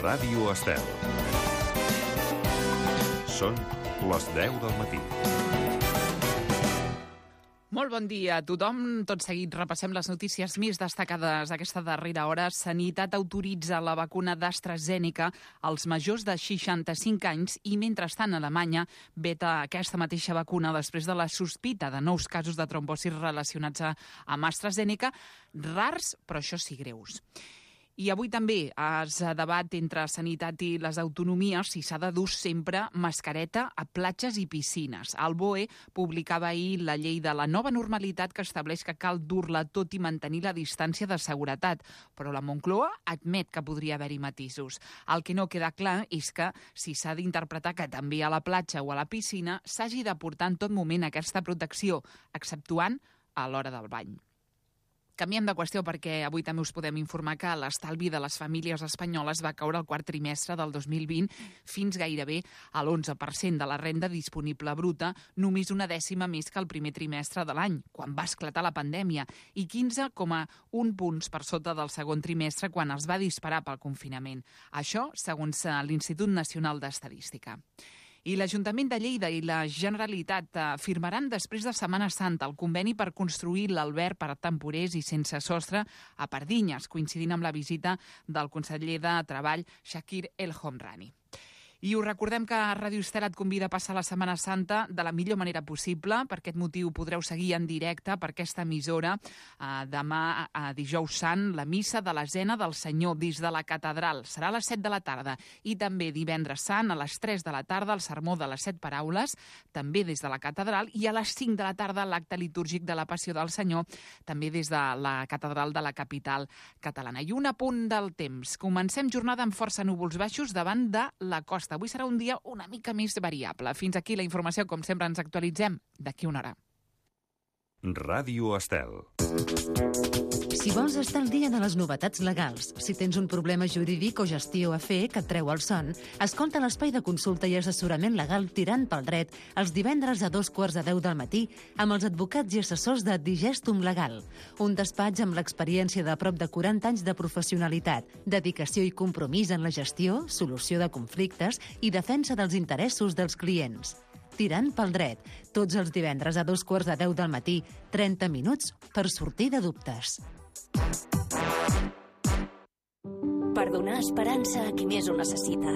Ràdio Estel. Són les 10 del matí. Molt bon dia a tothom. Tot seguit repassem les notícies més destacades d'aquesta darrera hora. Sanitat autoritza la vacuna d'AstraZeneca als majors de 65 anys i, mentrestant, Alemanya veta aquesta mateixa vacuna després de la sospita de nous casos de trombosi relacionats amb AstraZeneca, rars, però això sí greus. I avui també es debat entre sanitat i les autonomies si s'ha de dur sempre mascareta a platges i piscines. El BOE publicava ahir la llei de la nova normalitat que estableix que cal dur-la tot i mantenir la distància de seguretat, però la Moncloa admet que podria haver-hi matisos. El que no queda clar és que si s'ha d'interpretar que també a la platja o a la piscina s'hagi de portar en tot moment aquesta protecció, exceptuant a l'hora del bany. Canviem de qüestió perquè avui també us podem informar que l'estalvi de les famílies espanyoles va caure al quart trimestre del 2020 fins gairebé a l'11% de la renda disponible bruta, només una dècima més que el primer trimestre de l'any, quan va esclatar la pandèmia, i 15,1 punts per sota del segon trimestre quan es va disparar pel confinament. Això, segons l'Institut Nacional d'Estadística. I l'Ajuntament de Lleida i la Generalitat firmaran després de Setmana Santa el conveni per construir l'alberg per a temporers i sense sostre a Pardinyes, coincidint amb la visita del conseller de Treball, Shakir El Homrani. I us recordem que Ràdio Estel et convida a passar la Setmana Santa de la millor manera possible. Per aquest motiu podreu seguir en directe per aquesta emissora demà, dijous sant, la missa de l'esena del Senyor des de la catedral. Serà a les 7 de la tarda. I també divendres sant a les 3 de la tarda el sermó de les 7 paraules, també des de la catedral, i a les 5 de la tarda l'acte litúrgic de la Passió del Senyor, també des de la catedral de la capital catalana. I un apunt del temps. Comencem jornada amb força núvols baixos davant de la costa. Avui serà un dia una mica més variable. Fins aquí la informació, com sempre ens actualitzem d'aquí una hora. Ràdio Estel. Si vols estar al dia de les novetats legals, si tens un problema jurídic o gestió a fer que et treu el son, escolta l'espai de consulta i assessorament legal Tirant pel Dret els divendres a 2:15 del matí amb els advocats i assessors de Digestum Legal, un despatx amb l'experiència de prop de 40 anys de professionalitat, dedicació i compromís en la gestió, solució de conflictes i defensa dels interessos dels clients. Tirant pel Dret, tots els divendres a 2:15 del matí, 30 minuts per sortir de dubtes. Per donar esperança a qui més ho necessita.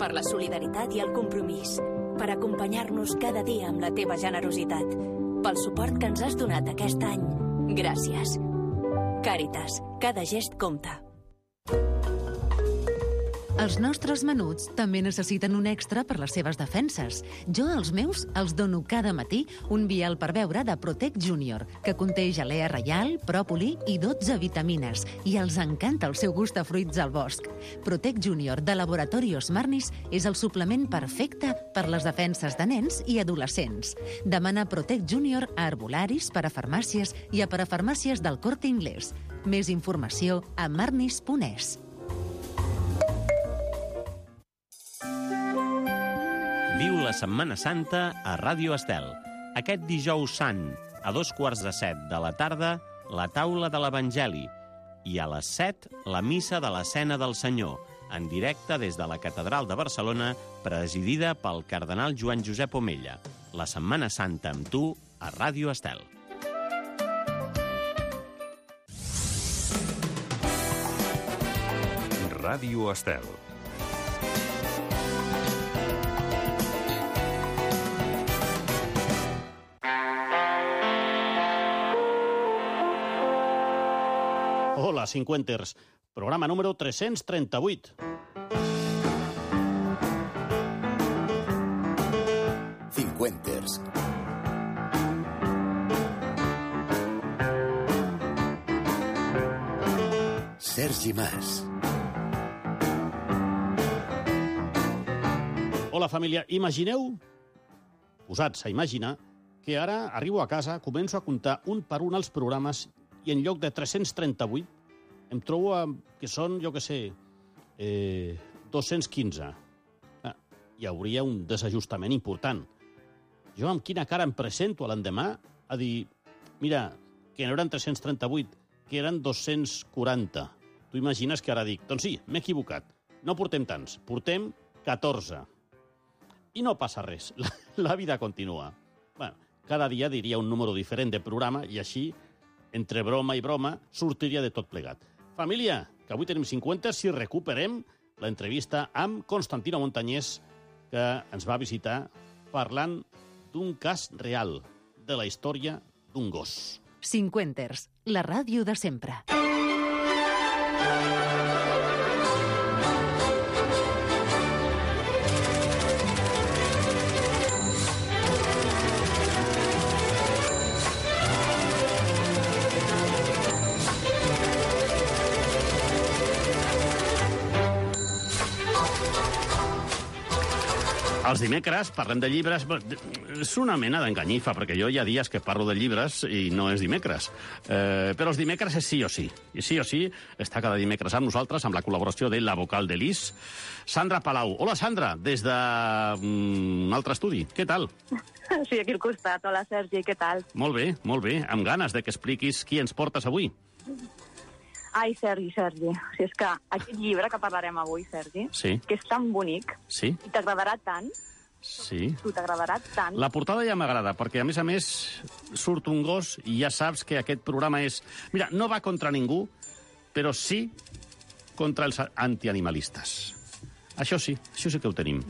Per la solidaritat i el compromís. Per acompanyar-nos cada dia amb la teva generositat. Pel suport que ens has donat aquest any. Gràcies. Càritas, cada gest compta. Els nostres menuts també necessiten un extra per les seves defenses. Jo, als meus, els dono cada matí un vial per beure de Protect Junior, que conté gelea reial, pròpoli i 12 vitamines, i els encanta el seu gust a fruits al bosc. Protect Junior de Laboratorios Marnis és el suplement perfecte per les defenses de nens i adolescents. Demana Protect Junior a herbolaris, parafarmàcies i a parafarmàcies del Corte Inglés. Més informació a marnis.es. Viu la Setmana Santa a Ràdio Estel. Aquest dijous sant, a 2:15 de la tarda, la taula de l'Evangeli. I a les 7, la missa de l'esena del Senyor, en directe des de la Catedral de Barcelona, presidida pel cardenal Joan Josep Omella. La Setmana Santa amb tu a Ràdio Estel. Ràdio Estel. Hola, cinquenters. Programa número 338. Cinquenters. Sergi Mas. Hola, família. Imagineu, posats a imaginar, que ara arribo a casa, començo a comptar un per un els programes i en lloc de 338 em trobo que són, jo què sé, 215. Hi hauria un desajustament important. Jo amb quina cara em presento a l'endemà a dir, mira, que no eren 338, que eren 240. Tu imagines que ara dic, doncs sí, m'he equivocat. no portem tants, portem 14. I no passa res, la vida continua. Bueno, cada dia diria un número diferent de programa i així, entre broma i broma, sortiria de tot plegat. Família, que avui tenim 50 si recuperem l'entrevista amb Constantino Montañés, que ens va visitar parlant d'un cas real, de la història d'un gos. Cinquenters, la ràdio de sempre. Els dimecres parlem de llibres. És una mena d'enganyifa, perquè jo hi ha dies que parlo de llibres i no és dimecres. Però els dimecres és sí o sí. I sí o sí està cada dimecres amb nosaltres, amb la col·laboració de la vocal de l'IS, Sandra Palau. Hola, Sandra, des d'un altre estudi. Què tal? Sí, aquí al costat. Hola, Sergi, què tal? Molt bé, amb ganes de que expliquis qui ens portes avui. Ai, Sergi. Si és que aquest llibre que parlarem avui, Sergi, sí, que és tan bonic, sí, i t'agradarà tant, sí, t'agradarà tant. La portada ja m'agrada, perquè a més surt un gos i ja saps que aquest programa és... Mira, no va contra ningú, però sí contra els antianimalistes. Això sí que ho tenim.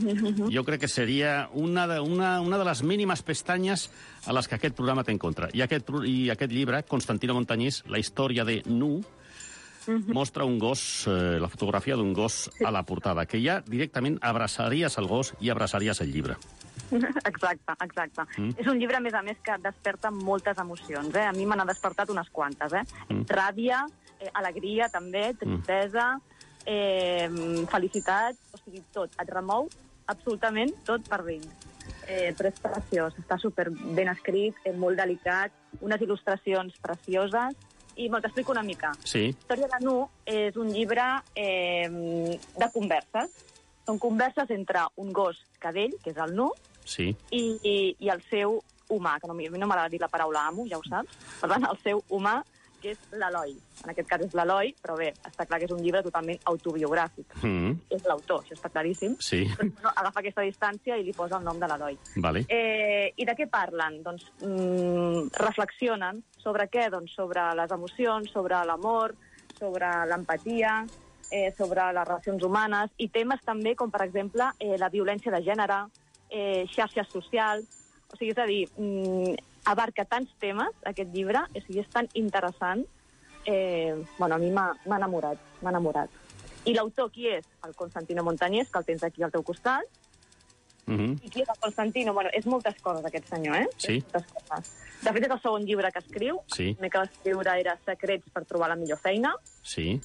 Jo crec que seria una de les mínimes pestanyes a les que aquest programa té en contra. I aquest llibre, Constantino Montañés, la història de Nu, mostra un gos, la fotografia d'un gos a la portada, que ja directament abraçaries el gos i abraçaries el llibre. Exacte. És un llibre, a més, que desperta moltes emocions. A mi me n'ha despertat unes quantes. Ràbia, alegria, també, tristesa, felicitat, o sigui, tot. Et remou absolutament tot per dins. Però és preciós, està super ben escrit, molt delicat, unes il·lustracions precioses. I t'explico una mica. Sí. Història de Nu és un llibre de converses. Són converses entre un gos cadell, que és el Nu, sí, i el seu humà, que a mi no m'agrada dir la paraula amo, ja ho saps. Per tant, el seu humà, que és l'Eloi. En aquest cas és l'Eloi, però bé, està clar que és un llibre totalment autobiogràfic. És l'autor, això està claríssim. Sí. Però agafa aquesta distància i li posa el nom de l'Eloi. Vale. I de què parlen? Doncs reflexionen sobre què? Doncs sobre les emocions, sobre l'amor, sobre l'empatia, sobre les relacions humanes, i temes també com, per exemple, la violència de gènere, xarxes socials. O sigui, és a dir, abarca tants temes, aquest llibre, o sigui, és tan interessant. A mi m'ha enamorat. I l'autor, qui és? El Constantino Montañés, que el tens aquí al teu costat. I qui és el Constantino? És moltes coses, aquest senyor, Sí. Moltes coses. De fet, és el segon llibre que escriu. Sí. El primer que va escriure era Secrets per trobar la millor feina. Sí.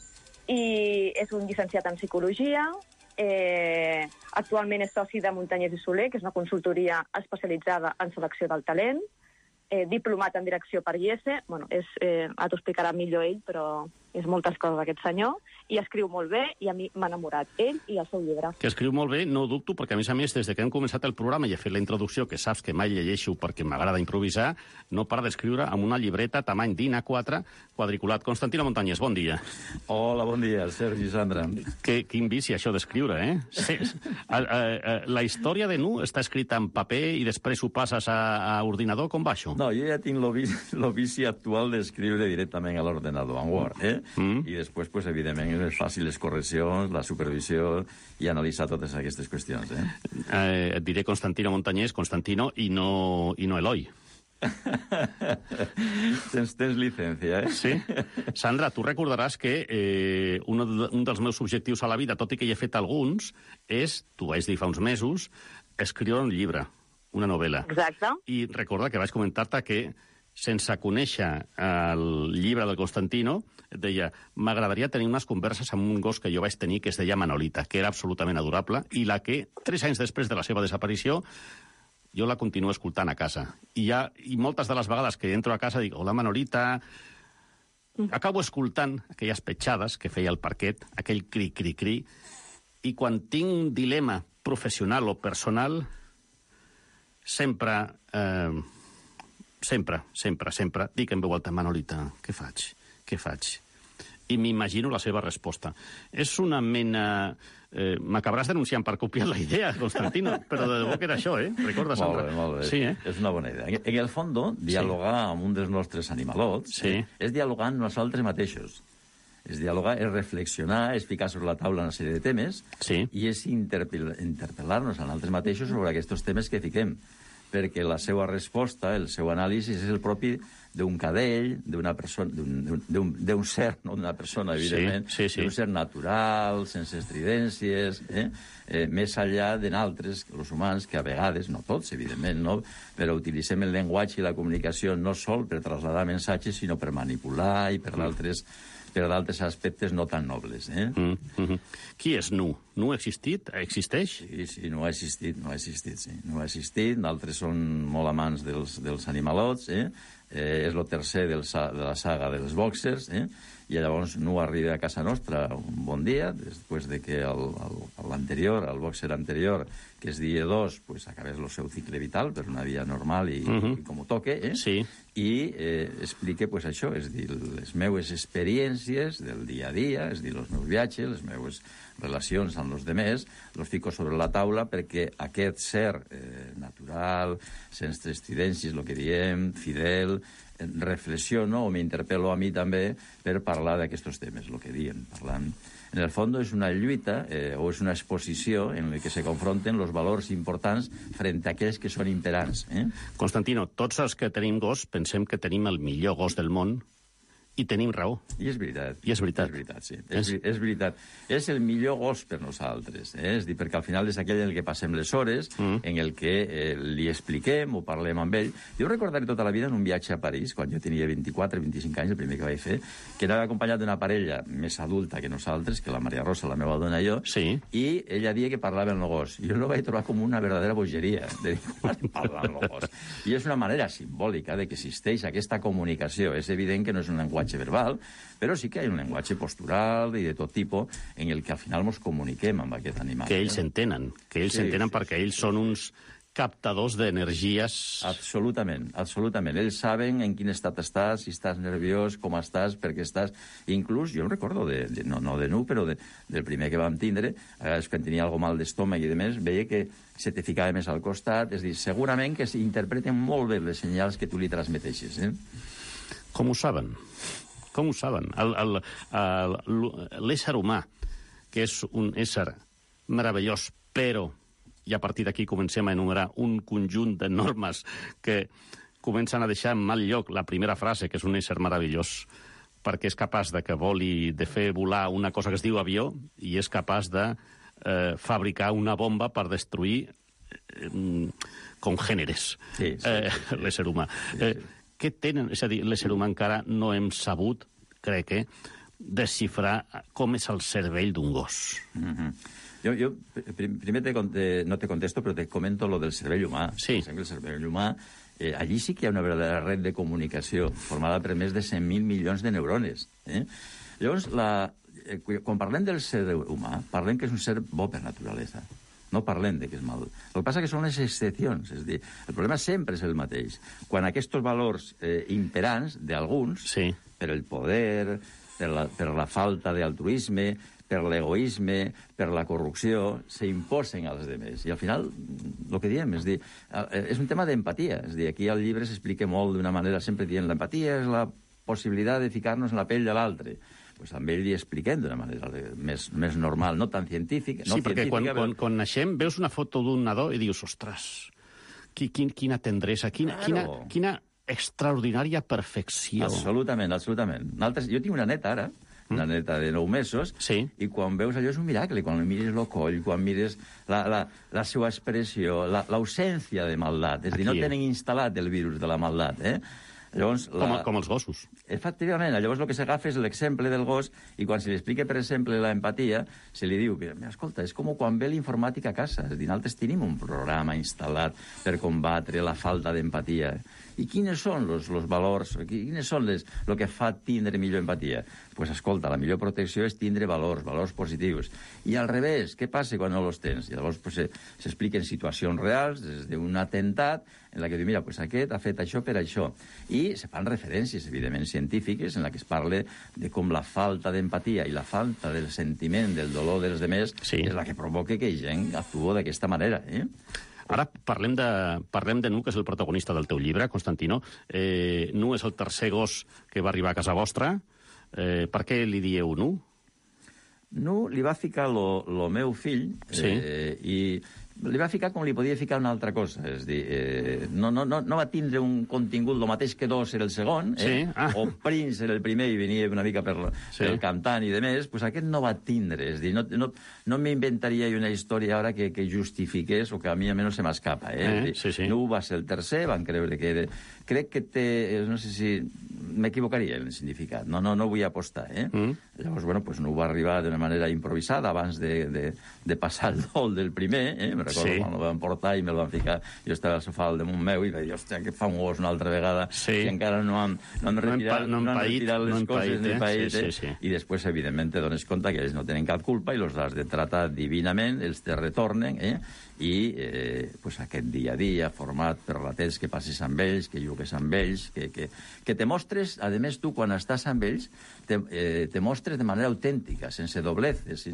I és un llicenciat en psicologia. Actualment és soci de Montañés i Soler, que és una consultoria especialitzada en selecció del talent. Diplomat en direcció per IESE. Ara t'ho explicarà millor ell, però és moltes coses aquest senyor. I escriu molt bé, i a mi m'ha enamorat ell i el seu llibre. Que escriu molt bé, no ho dubto, perquè a més, des de que hem començat el programa i he fet la introducció, que saps que mai llegeixo perquè m'agrada improvisar, no para d'escriure amb una llibreta tamany DIN A4 quadriculat. Constantino Montañés, bon dia. Hola, bon dia, Sergi, Sandra. Quin vici això d'escriure, Sí. La història de Nu està escrita en paper i després ho passes a ordinador, com va això? No, jo ja tinc el vici actual d'escriure directament a l'ordenador, en Word, I després, pues, evidentment, és més fàcil les correccions, la supervisió i analitzar totes aquestes qüestions, Et diré Constantino Montañés, Constantino, i no Eloi. Tens llicència, Sí. Sandra, tu recordaràs que un dels meus objectius a la vida, tot i que hi he fet alguns, és, t'ho vaig dir fa uns mesos, escriure un llibre, una novel·la. Exacte. I recorda que vaig comentar-te que, sense conèixer el llibre del Constantino, et deia, m'agradaria tenir unes converses amb un gos que jo vaig tenir que es deia Manolita, que era absolutament adorable, i la que, 3 anys després de la seva desaparició, jo la continuo escoltant a casa. I moltes de les vegades que entro a casa dic, hola Manolita, acabo escoltant aquelles petjades que feia el parquet, aquell cri-cri-cri, i quan tinc un dilema professional o personal, sempre dic en veu alta, Manolita, què faig? i m'imagino la seva resposta. És una mena... M'acabaràs denunciant per copiar la idea, Constantino, però de debò que era això, Recorda, Sandra? Molt bé. Sí, És una bona idea. En el fons, dialogar amb un dels nostres animalots és dialogar amb nosaltres mateixos. És dialogar, és reflexionar, és ficar sobre la taula una sèrie de temes i és interpel·lar-nos a nosaltres mateixos sobre aquests temes que fiquem, perquè la seva resposta, el seu anàlisi, és el propi d'un cadell, d'una persona, d'un ser, no d'una persona, evidentment, d'un ser natural, sense estridències, més enllà de nosaltres, els humans, que a vegades, no tots, evidentment, no, però utilitzem el llenguatge i la comunicació no sol per traslladar missatges, sinó per manipular i per d'altres aspectes no tan nobles. Qui és Nu? Nu ha existit? Existeix? Sí, Nu ha existit, sí. Nu ha existit, d'altres són molt amants dels animalots, és el tercer de la saga dels bòxers, i llavors Nu arriba a casa nostra un bon dia, després de que l'anterior, el bòxer anterior, que és dia 2, pues, acabés el seu cicle vital per una via normal i com ho toque, i explique pues, això, és dir, les meues experiències del dia a dia, és dir, els meus viatges, les meues relacions amb els demés, els fico sobre la taula perquè aquest ser natural, sense estridències, el que diem, fidel, reflexiono o m'interpel·lo a mi també per parlar d'aquests temes, el que diem, parlant. En el fons és una lluita o és una exposició en la que se confronten els valors importants frente a aquells que són imperants. Constantino, tots els que tenim gos pensem que tenim el millor gos del món i tenim raó. I és veritat. I és veritat. És veritat, sí. És veritat. És el millor gos per nosaltres. És dir, perquè al final és aquell en el que passem les hores, en el que li expliquem o parlem amb ell. Jo recordaré tota la vida en un viatge a París, quan jo tenia 24-25 anys, el primer que vaig fer, que anava acompanyat d'una parella més adulta que nosaltres, que la Maria Rosa, la meva dona i jo, i ella dia que parlava amb el gos. Jo no vaig trobar com una verdadera bogeria de parlar amb el gos. I és una manera simbòlica de que existeix aquesta comunicació. És evident que no és un llenguatge verbal, però sí que hi ha un llenguatge postural i de tot tipus en el que al final ens comuniquem amb aquest animal. Que ells entenen, perquè ells són uns captadors d'energies... Absolutament. Ells saben en quin estat estàs, si estàs nerviós, com estàs, per què estàs... Inclús, jo recordo, no de Nu, però del primer que vam tindre, quan tenia algo mal d'estómac i de més, veia que se te ficava més al costat, és dir, segurament que s'interpreten molt bé les senyals que tu li transmeteixes. Com ho saben? Com ho saben? L'ésser humà, que és un ésser meravellós, però, i a partir d'aquí comencem a enumerar un conjunt de normes que comencen a deixar en mal lloc la primera frase, que és un ésser meravellós, perquè és capaç de fer volar una cosa que es diu avió i és capaç de fabricar una bomba per destruir congèneres l'ésser humà. Què tenen? És a dir, l'ésser humà encara no hem sabut, crec desxifrar com és el cervell d'un gos. Jo primer no te contesto, però te comento lo del cervell humà. Sí. El cervell humà, allí sí que hi ha una verdadera red de comunicació formada per més de 100.000 milions de neurones. Llavors, quan parlem del cervell humà, parlem que és un ser bo per naturalesa. No parlem de que és mal. El que passa que són les excepcions. És dir, el problema sempre és el mateix. Quan aquests valors imperants d'alguns, per el poder, per la falta d'altruisme, per l'egoisme, per la corrupció, s'imposen als demés. I al final, el que diem, és dir, és un tema d'empatia. És dir, aquí al llibre s'explica molt d'una manera, sempre dient, l'empatia és la possibilitat de ficar-nos en la pell de l'altre. Pues amb ell li expliquem d'una manera més normal, no tan científica. Sí, perquè quan naixem veus una foto d'un nadó i dius, ostres, quina tendresa, quina extraordinària perfecció. Absolutament. Jo tinc una neta ara, una neta de 9 mesos, i quan veus allò és un miracle, quan mires el coll, quan mires la seva expressió, l'ausència de maldat, és a dir, no tenen instal·lat el virus de la maldat, Llavors, com els gossos. Efectivament, llavors el que s'agafa és l'exemple del gos i quan se li explica, per exemple, l'empatia, se li diu, escolta, és com quan ve l'informàtic a casa. És a dir, nosaltres tenim un programa instal·lat per combatre la falta d'empatia. I quins són els valors, quines són el que fa tindre millor empatia? pues escolta, la millor protecció és tindre valors positius. I al revés, què passa quan no els tens? I llavors pues, s'expliquen situacions reals, des d'un atemptat, en la que diu, mira, pues aquest ha fet això per això. I se fan referències, evidentment, científiques, en la que es parla de com la falta d'empatia i la falta del sentiment, del dolor dels demés, és la que provoca que gent actua d'aquesta manera, Ara parlem de Nu, que és el protagonista del teu llibre, Constantino. Nu és el tercer gos que va arribar a casa vostra. Per què li dieu Nu? Nu li va ficar lo meu fill i li va ficar com li podia ficar una altra cosa. És a dir, no va tindre un contingut, el mateix que Dos era el segon, o Prince era el primer i venia una mica per el cantant i de més, doncs aquest no va tindre. És a dir, no m'inventaria una història ara que justifiqués o que a mi almenys se m'escapa. Nu va ser el tercer, van creure que era... Crec que té... No sé si m'equivocaria en el significat. No vull apostar, Llavors, bueno, pues Nu va arribar d'una manera improvisada abans de passar el dol del primer, recordo quan el van portar i me'l van ficar, jo estava al sofà al damunt meu i vaig dir, hòstia, que fa un gos una altra vegada i encara no han retirat les coses ni paït, i després, evidentment, te dones compte que ells no tenen cap culpa i els has de tratar divinament, ells te retornen, i pues, aquest dia a dia, format per la temps que passis amb ells, que jugues amb ells, que te mostres, a més, tu, quan estàs amb ells, te mostres de manera autèntica, sense dobleces,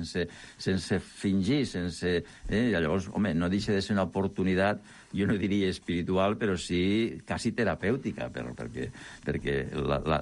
sense fingir, sense... Llavors, home, no deixa de ser una oportunitat, jo no diria espiritual, però sí quasi terapèutica, perquè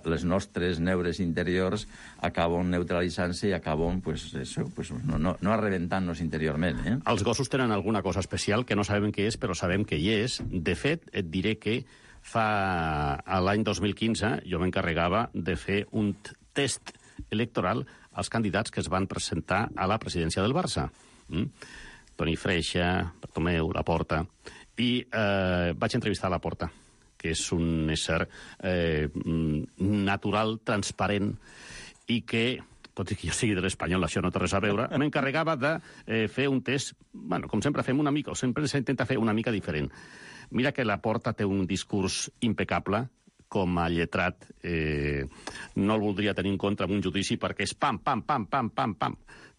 les nostres neures interiors acaben neutralitzant-se i acaben no arrebentant-nos interiorment. Els gossos tenen alguna cosa especial que no sabem què és, però sabem que hi és. De fet, et diré que l'any 2015 jo m'encarregava de fer un test electoral als candidats que es van presentar a la presidència del Barça. Toni Freixa, Bartomeu, Laporta, i vaig entrevistar Laporta, que és un ésser natural, transparent, i que, tot i que jo sigui de l'Espanyol, això no té res a veure, m'encarregava de fer un test, bueno, com sempre fem una mica, o sempre s'intenta fer una mica diferent. Mira que Laporta té un discurs impecable, com a lletrat no el voldria tenir en compte en un judici perquè és pam, pam, pam, pam, pam, pam.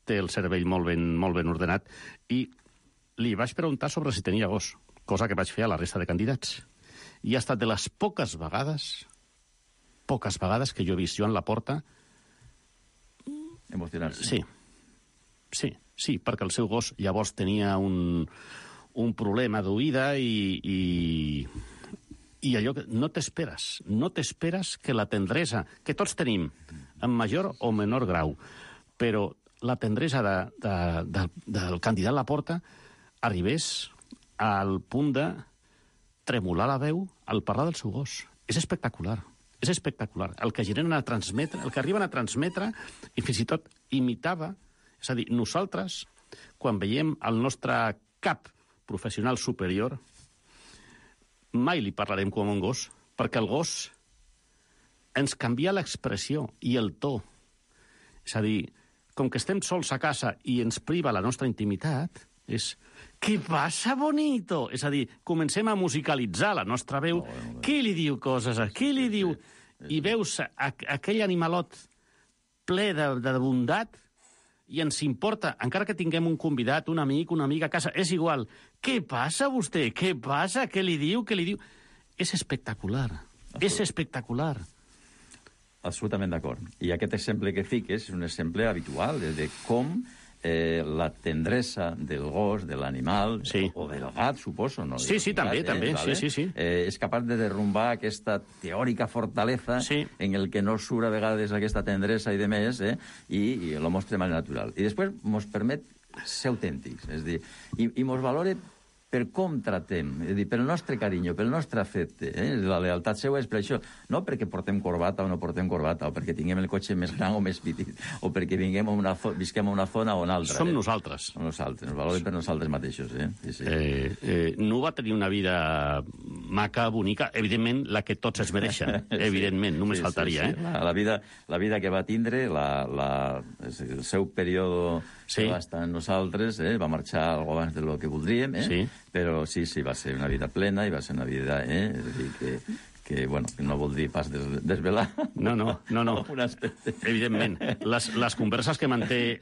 Té el cervell molt ben ordenat. I li vaig preguntar sobre si tenia gos, cosa que vaig fer a la resta de candidats. I ha estat de les poques vegades que jo he vist Joan Laporta emocionar-se. Sí, perquè el seu gos llavors tenia un problema d'oïda i allò que no t'esperes que la tendresa, que tots tenim, en major o menor grau, però la tendresa del candidat Laporta arribés al punt de tremolar la veu al parlar del seu gos. És espectacular. El que arriben a transmetre, i fins i tot imitava, és a dir, nosaltres, quan veiem el nostre cap professional superior, mai li parlarem com un gos, perquè el gos ens canvia l'expressió i el to. És a dir, com que estem sols a casa i ens priva la nostra intimitat, és «Què passa, bonito?» És a dir, comencem a musicalitzar la nostra veu. Qui li diu coses? Qui li diu? I veus aquell animalot ple de bondat i ens importa, encara que tinguem un convidat, un amic, una amiga a casa, és igual. Què passa, vostè? Què passa? Què li diu? És espectacular. Absolutament d'acord. I aquest exemple que fiques és un exemple habitual de com la tendresa del gos, de l'animal, o del gat, suposo, no? Sí, també. És capaç de derrumbar aquesta teòrica fortalesa en el que no surt a vegades aquesta tendresa i de més, i lo mostra de manera natural. I després mos permet ser autèntics, és a dir, i mos valora per com tratem, és a dir, pel nostre carinyo, pel nostre afecte. La lealtat seva és per això, no perquè portem corbata o no portem corbata, o perquè tinguem el cotxe més gran o més petit, o perquè visquem a una zona o una altra. Som nosaltres. Som nosaltres, ens valorem per nosaltres mateixos. No va tenir una vida maca, bonica, evidentment la que tots es mereixen, evidentment, només faltaria. La vida que va tindre, el seu període que va estar amb nosaltres, va marxar algo abans del que voldríem, però sí, va ser una vida plena i va ser una vida que no vol dir pas desvelar. No. Un aspecte. Evidentment. Les converses que manté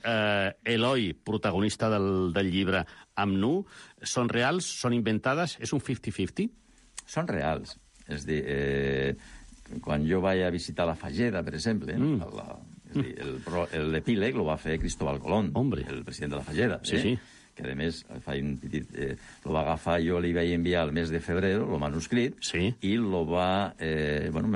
Eloi, protagonista del llibre, amb Nu, són reals, són inventades? És un 50-50? Són reals. És a dir, quan jo vaig a visitar la Fageda, per exemple, l'epíleg lo va fer Cristóbal Colón, el president de la Fageda. Sí. Que a més lo va agafar, jo li vaig enviar el mes de febrer, el manuscrit, i me'l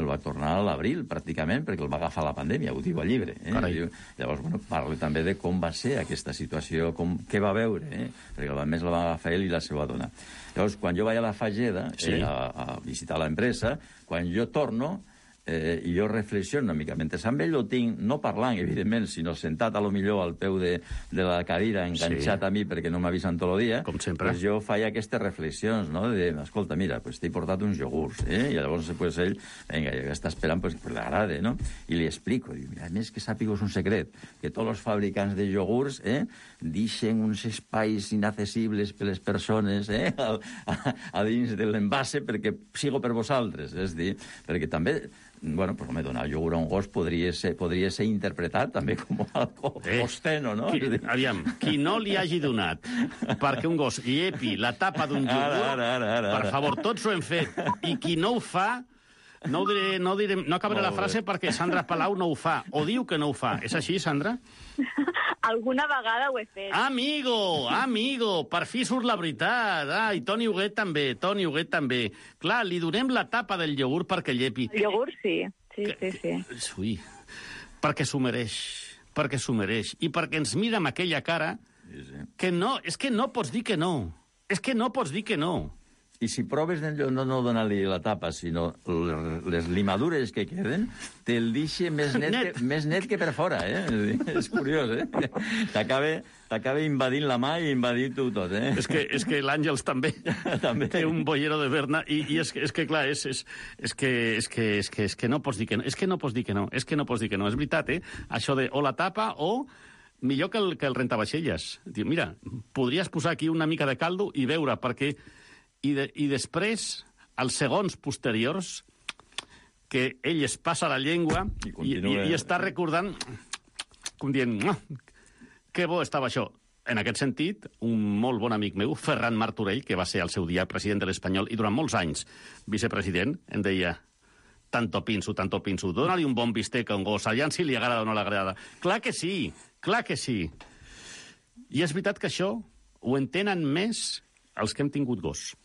va tornar a l'abril, pràcticament, perquè el va agafar la pandèmia, ho diu al llibre. Llavors, parla també de com va ser aquesta situació, què va veure, perquè a més la va agafar ell i la seva dona. Llavors, quan jo vaig a la Fageda a visitar l'empresa, quan jo torno, i jo reflexiono una mica. Mentre amb ell ho tinc, no parlant, evidentment, sinó sentat a lo millor al peu de la cadira, enganxat a mi perquè no m'avisen tot el dia, pues jo faig aquestes reflexions, no? De, escolta, mira, pues t'he portat uns iogurts, i llavors pues, ell, vinga, ja està esperant pues, que l'agrada, no? I li explico, diu, mira, a més que sàpigues un secret, que tots els fabricants de iogurts deixen uns espais inaccessibles per les persones a dins de l'envase perquè sigo per vosaltres, és dir, perquè també donar iogurt a un gos podria ser interpretat també com algo obsceno, no? Aviam, qui no li hagi donat perquè un gos llepi la tapa d'un iogurt, per favor, tots ho hem fet, i qui no ho fa, no acabaré la frase perquè Sandra Palau no ho fa, o diu que no ho fa. És així, Sandra? Alguna vegada ho he fet. Amigo, per fi surt la veritat. I Toni Huguet també. Clar, li donem la tapa del iogurt perquè llepi. El iogurt, sí. Ui, perquè s'ho mereix. I perquè ens mira amb aquella cara que no, és que no pots dir que no. I si proves no donar-li la tapa, sinó les limadures que queden, te'l deixa més net que per fora, És curiós, T'acaba invadint la mà i invadint-ho tot, És que l'Àngels també té un bollero de Berna, i és que, clar, és que no pots dir que no. És que no pots dir que no. És veritat, Això de o la tapa o... Millor que el rentavaixelles. Diu, mira, podries posar aquí una mica de caldo i veure, perquè... I després, als segons posteriors, que ell es passa la llengua i està recordant, com dient, que bo estava això. En aquest sentit, un molt bon amic meu, Ferran Martorell, que va ser al seu dia president de l'Espanyol i durant molts anys vicepresident, em deia, tanto pinso, dóna-li un bon bistec a un gos, aviam si li agrada o no l'agrada. Clar que sí. I és veritat que això ho entenen més els que hem tingut gos.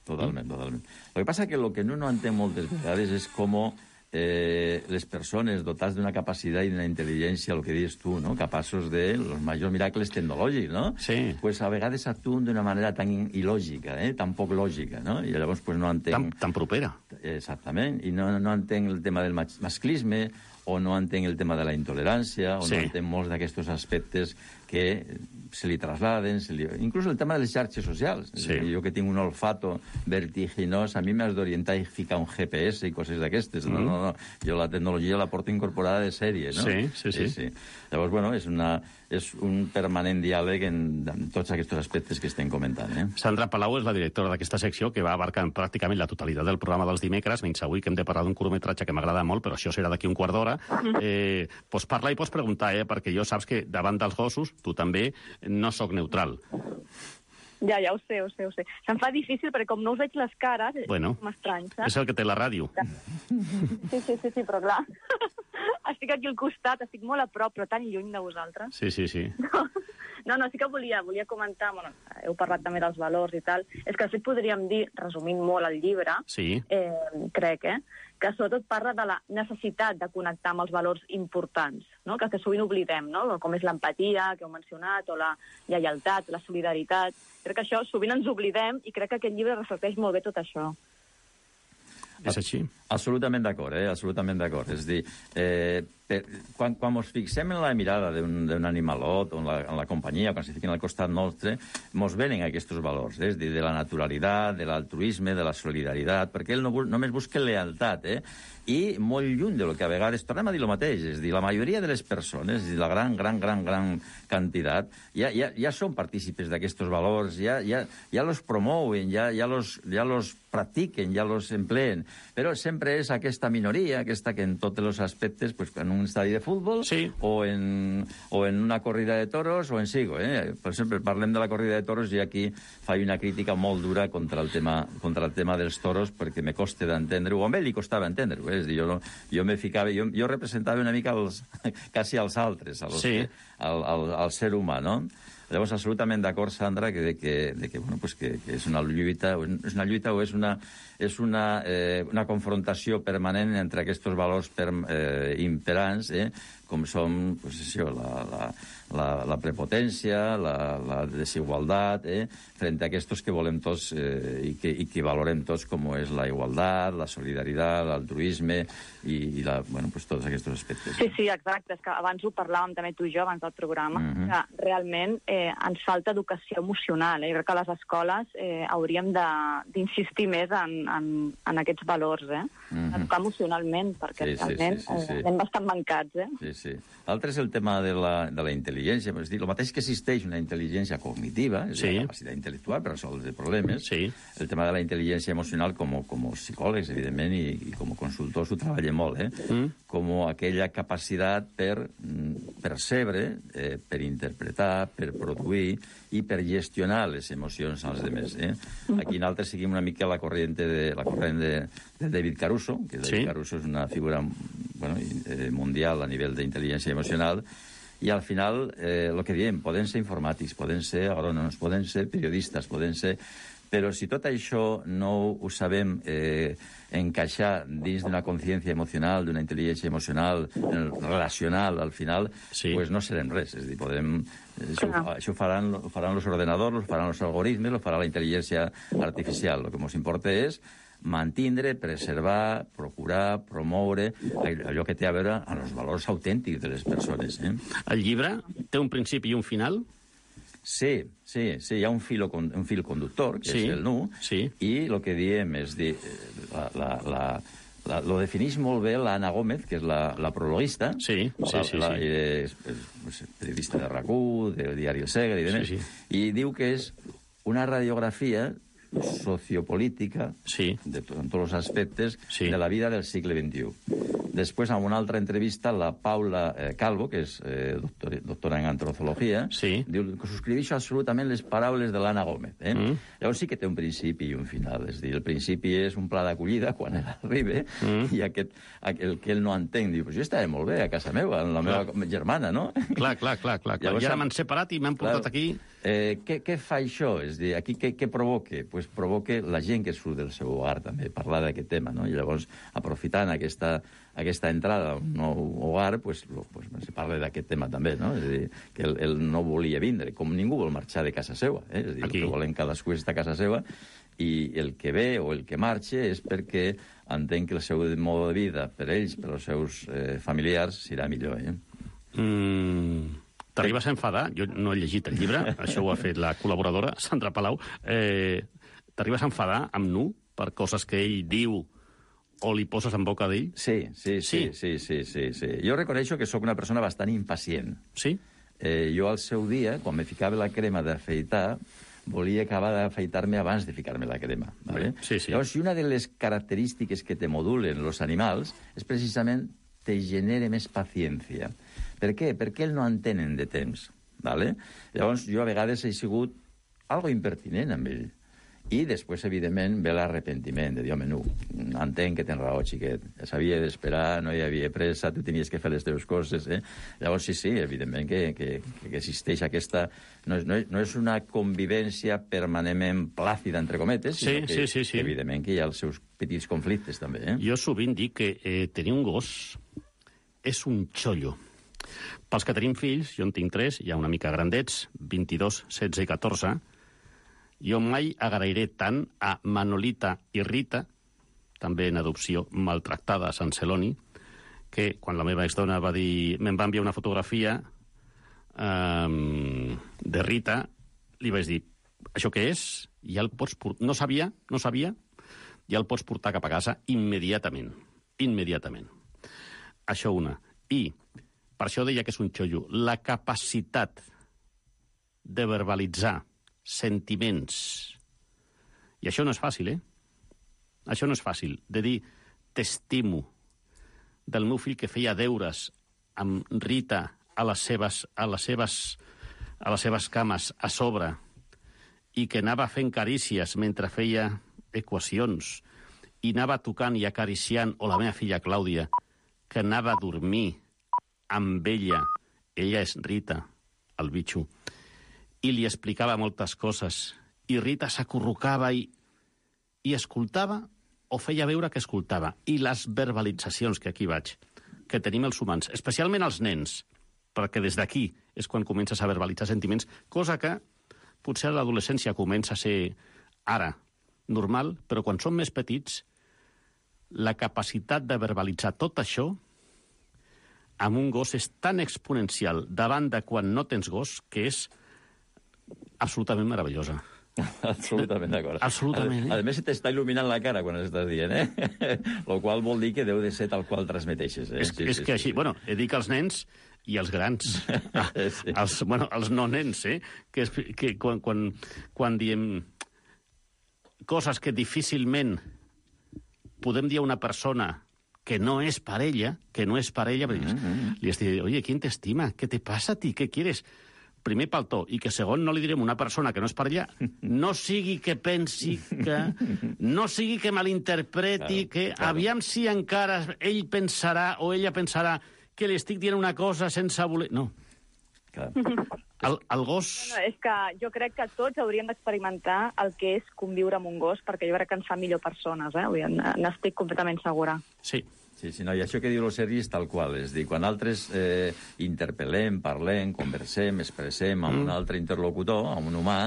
Totalment. Lo que passa que lo que no entén moltes vegades és com les persones dotats d'una capacitat i d'una intel·ligència, el que dius tu, no? Capaços de los majors miracles tecnològics, no? Sí. Pues a vegades actuen d'una manera tan il·lògica, tan poc lògica, no? I llavors pues no entenc... Tan propera. Exactament. I no entenc el tema del masclisme, o no entenc el tema de la intolerància, o no entenc molts d'aquests aspectes que se li trasladen, inclús el tema de les xarxes socials. Jo que tinc un olfato vertiginós, a mi m'has d'orientar i ficar un GPS i coses d'aquestes. No. Jo la tecnologia la porto incorporada de sèrie, no? Sí. Llavors, és un permanent diàleg en tots aquests aspectes que estem comentant. Sandra Palau és la directora d'aquesta secció que va abarcar pràcticament la totalitat del programa dels dimecres, menys avui que hem de parlar d'un curtmetratge que m'agrada molt, però això serà d'aquí un quart d'hora. Pots parlar i pots preguntar, perquè jo saps que davant dels gossos, tu també, no sóc neutral. Ja ho sé. Se'm fa difícil perquè com no us veig les cares, m'estrany, saps? És el que té la ràdio. Sí, però clar, estic aquí al costat, estic molt a prop, però tan lluny de vosaltres. Sí. No, sí que volia comentar, heu parlat també dels valors i tal, és que de fet podríem dir, resumint molt el llibre, crec, que sobretot parla de la necessitat de connectar amb els valors importants, no? que sovint oblidem, no? Com és l'empatia, que heu mencionat, o la lleialtat, la solidaritat. Crec que això sovint ens oblidem i crec que aquest llibre reflecteix molt bé tot això. És així. Absolutament d'acord, absolutament d'acord. És a dir, quan ens fixem en la mirada d'un animalot o en la companyia, quan se fiquen al costat nostre, ens venen aquests valors, és a dir, de la naturalitat, de l'altruisme, de la solidaritat, perquè ell només busca lealtat, i molt lluny de lo que a vegades, tornem a dir el mateix, és a dir, la majoria de les persones, és a dir, la gran quantitat, ja són partícipes d'aquests valors, ja los promouen, ja los practiquen, ja los empleen, però sempre és aquesta minoria, aquesta que en tots els aspectes, pues, en un estadi de futbol, o en una corrida de toros, o en sigo. Per exemple, parlem de la corrida de toros i aquí faig una crítica molt dura contra el tema dels toros, perquè me costa d'entendre-ho, o a ell li costava entendre-ho, és a dir, jo me ficava, jo representava una mica quasi als altres, al ser humà, no? Llavors, absolutament d'acord, Sandra, que és una lluita o és una confrontació permanent entre aquests valors imperants, com són la prepotència, la desigualtat, frente a aquests que volem tots i que valorem tots, com és la igualtat, la solidaritat, l'altruisme i tots aquests aspectes. Sí, exacte. És que abans ho parlàvem també tu i jo, abans del programa, que realment ens falta educació emocional. Jo crec que a les escoles hauríem d'insistir més en aquests valors, educar emocionalment, perquè realment anem bastant mancats. Sí. L'altre és el tema de la intel·ligència. És dir, el mateix que existeix una intel·ligència cognitiva, és la capacitat intel·lectual per resoldre problemes, el tema de la intel·ligència emocional, com a psicòlegs, evidentment, i com a consultors ho treballem molt, com aquella capacitat per percebre, per interpretar, per produir i per gestionar les emocions als altres. Aquí nosaltres seguim una mica la corrent de David Caruso, que David Caruso és una figura mundial a nivell d'intel·ligència emocional, i al final, el que diem, poden ser informàtics, poden ser agrònoms, poden ser periodistes, poden ser... Però si tot això no ho sabem encaixar dins d'una consciència emocional, d'una intel·ligència emocional, relacional, al final, pues no serem res. És a dir, podem... Això ho faran els ordenadors, ho faran els algoritmes, ho farà la intel·ligència artificial. El que ens importa és mantindre, preservar, procurar, promoure allò que té a veure amb els valors autèntics de les persones. El llibre té un principi i un final? Sí, hi ha un fil conductor, que és el nu, i el que diem és dir, lo defineix molt bé l'Anna Gómez, que és la prologuista, periodista de RAC1, del diari El Segre, i diu que és una radiografia sociopolítica en tots els aspectes de la vida del segle XXI. Després, en una altra entrevista, la Paula Calvo, que és doctora en antropologia, diu que subscriveixo absolutament les paraules de l'Anna Gómez. Llavors sí que té un principi i un final. És dir, el principi és un pla d'acollida quan ell arriba i el que ell no entén diu, jo estava molt bé a casa meva, amb la meva germana, no? Clar. I ara m'han separat i m'han portat aquí... Què fa això? És dir, aquí què provoca? Pues provoca la gent que surt del seu hogar, també, parlar d'aquest tema, no? I llavors, aprofitant aquesta entrada a un nou hogar, pues se parla d'aquest tema també, no? És a dir, que ell no volia vindre, com ningú vol marxar de casa seva. És a dir, el que volen cadascú és estar a casa seva, i el que ve o el que marxa és perquè entén que el seu mode de vida per ells, per als seus familiars, serà millor. T'arribes a enfadar? Jo no he llegit el llibre, això ho ha fet la col·laboradora, Sandra Palau. T'arribes a enfadar amb Nu per coses que ell diu o li poses en boca d'ell? Sí. Jo reconeixo que sóc una persona bastant impacient. Sí? Jo al seu dia, quan me ficava la crema d'afeitar, volia acabar d'afeitar-me abans de ficar-me la crema. ¿vale? Sí. Llavors, una de les característiques que te modulen els animals és precisament te genere més paciència. Per què? Perquè ells no entenen de temps. ¿vale? Llavors, jo a vegades he sigut algo impertinent amb ell. I després, evidentment, ve l'arrepentiment de dir, home, no, entenc que tens raó, xiquet. S'havia d'esperar, no hi havia pressa, tu tenies que fer les teves coses. Llavors, sí, evidentment que existeix aquesta... No és una convivència permanentment plàcida, entre cometes, sinó que, evidentment, que hi ha els seus petits conflictes, també. Jo sovint dic que tenir un gos és un xollo. Pels que tenim fills, jo en tinc 3, ja una mica grandets, 22, 16 i 14, jo mai agrairé tant a Manolita i Rita també en adopció, maltractada a Sant Celoni, que quan la meva exdona va dir, me'n va enviar una fotografia de Rita, li vaig dir, això què és? Ja el pots portar... No sabia, ja el pots portar cap a casa immediatament. Això una. I per això deia que és un xollo. La capacitat de verbalitzar sentiments. I això no és fàcil, Això no és fàcil. De dir, t'estimo, del meu fill que feia deures amb Rita a les seves cames a sobre i que anava fent carícies mentre feia equacions i anava tocant i acariciant, o la meva filla Clàudia, que anava a dormir amb ella és Rita, el bitxo, i li explicava moltes coses, i Rita s'acurrucava i escoltava o feia veure que escoltava. I les verbalitzacions, que aquí vaig, que tenim els humans, especialment els nens, perquè des d'aquí és quan comences a verbalitzar sentiments, cosa que potser a l'adolescència comença a ser ara normal, però quan som més petits, la capacitat de verbalitzar tot això amb un gos és tan exponencial davant de quan no tens gos que és absolutament meravellosa. Absolutament d'acord. Absolutament. A més, t'està il·luminant la cara quan estàs dient, Lo qual vol dir que deu de ser tal qual transmeteixes, És que així, bueno, dic als nens i als grans, els no nens, que quan diem coses que difícilment podem dir a una persona que no és parella, li estic dient, oye, ¿quién te estima? ¿Qué te pasa a ti? ¿Qué quieres? Primer pel to, i que segon no li direm a una persona que no és parella, no sigui que pensi que... No sigui que malinterpreti, que aviam si encara ell pensarà o ella pensarà que li estic dient una cosa sense voler... No. El gos... No, és que jo crec que tots hauríem d'experimentar el que és conviure amb un gos, perquè jo crec que ens fa millor persones, n'estic completament segura. Sí. Sí, no, i això que diu el Sergi és tal qual, és dir, quan altres interpel·lem, parlem, conversem, expressem amb un altre interlocutor, amb un humà,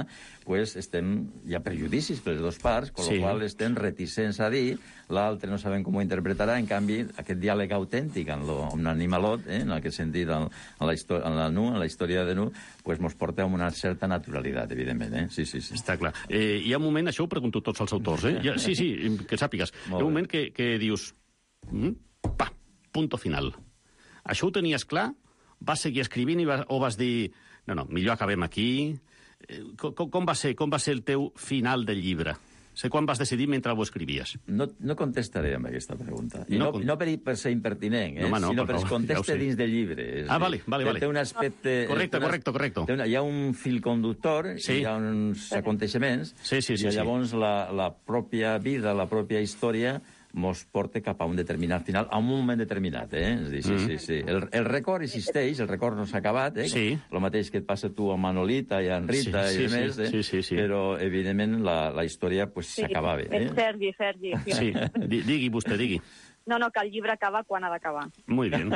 pues hi ha prejudicis per les dues parts, amb la qual estem reticents a dir, l'altre no sabem com ho interpretarà, en canvi, aquest diàleg autèntic amb un animalot, en aquest sentit, en la història de Nu, pues mos porta amb una certa naturalitat, evidentment, Sí. Està clar. Hi ha un moment, això ho pregunto a tots els autors, Sí, que sàpigues. Hi ha un moment que dius... punto final. Això ho tenies clar? Vas seguir escrivint o vas dir no, millor acabem aquí? Com va ser el teu final del llibre? Sé quan vas decidir mentre ho escrivies. No contestaré amb aquesta pregunta. I no per ser impertinent, sinó per conteste dins del llibre. Vale. Té un aspecte... Correcte. Hi ha un fil conductor, hi ha uns aconteixements, i llavors la pròpia vida, la pròpia història mos porta cap a un determinat final, a un moment determinat, És dir, sí. El record existeix, el record no s'ha acabat, el mateix que et passa tu amb Manolita i amb Rita i demés, però, evidentment, la història s'acabava. Sergi. Sí, digui vostè, digui. No, que el llibre acaba quan ha d'acabar. Muy bien.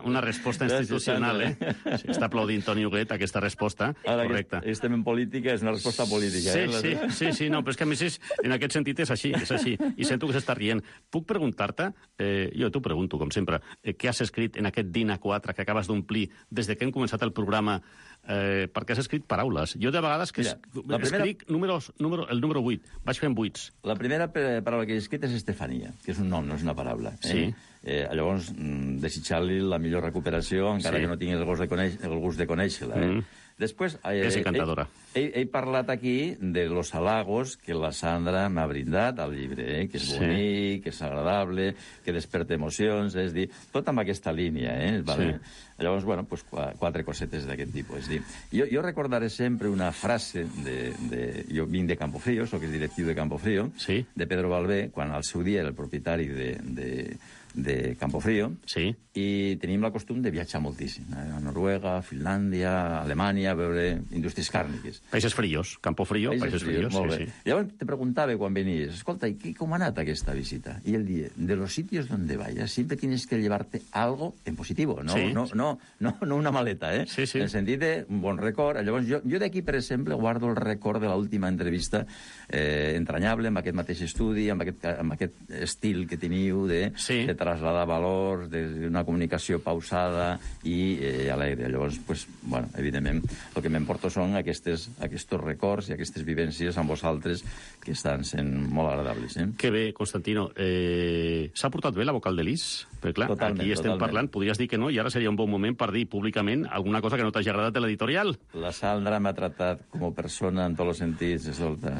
Una resposta institucional, Està aplaudint Toni Huguet aquesta resposta. Correcte. Ara que estem en política, és una resposta política. Sí, no, però és que a més en aquest sentit és així. I sento que s'està rient. Puc preguntar-te, jo t'ho pregunto, com sempre, què has escrit en aquest DIN A4 que acabes d'omplir des que hem començat el programa, perquè has escrit paraules. Jo de vegades escric el número 8, vaig fent 8. La primera paraula que he escrit és Estefania, que és un nom, no és una paraula. Sí. Llavors, desitjar-li la millor recuperació, encara que no tingui el gust de conèixer-la. Després, és encantadora. He parlat aquí de los halagos que la Sandra m'ha brindat al llibre, que és bonic, que és agradable, que desperta emocions, és dir, tot amb aquesta línia, Vale? Llavors, pues 4 cosetes d'aquest tipus. És dir, jo recordaré sempre una frase jo vinc de Campofrío, soc el directiu de Campofrío, de Pedro Balbé, quan al seu dia era el propietari de Campofrío, Sí. i tenim el costum de viatjar moltíssim. A Noruega, Finlàndia, Alemanya, a veure indústries càrniques. Països fríos, Campofrío, països fríos. Molt Sí, bé. sí. Llavors te preguntava quan venies, escolta, ¿y com ha anat aquesta visita? Y él dice, de los sitios donde vayas, siempre tienes que llevarte algo en positivo, no, Sí. no una maleta, eh? Sí, sí. En el sentit de un bon record. Llavors, jo d'aquí, per exemple, guardo el record de l'última entrevista entranyable, amb aquest mateix estudi, amb aquest estil que teniu de trasladar valors, d'una comunicació pausada i alegre. Llavors, pues, bueno, evidentment, el que m'emporto són aquests records i aquestes vivències amb vosaltres que estan sent molt agradables. Que bé, Constantino. S'ha portat bé la vocal de l'Is? Perquè, clar, Totalment, aquí estem totalment. parlant, podries dir que no, i ara seria un bon moment per dir públicament alguna cosa que no t'hagi agradat de l'editorial. La Sandra m'ha tratat com a persona en tots els sentits, escolta,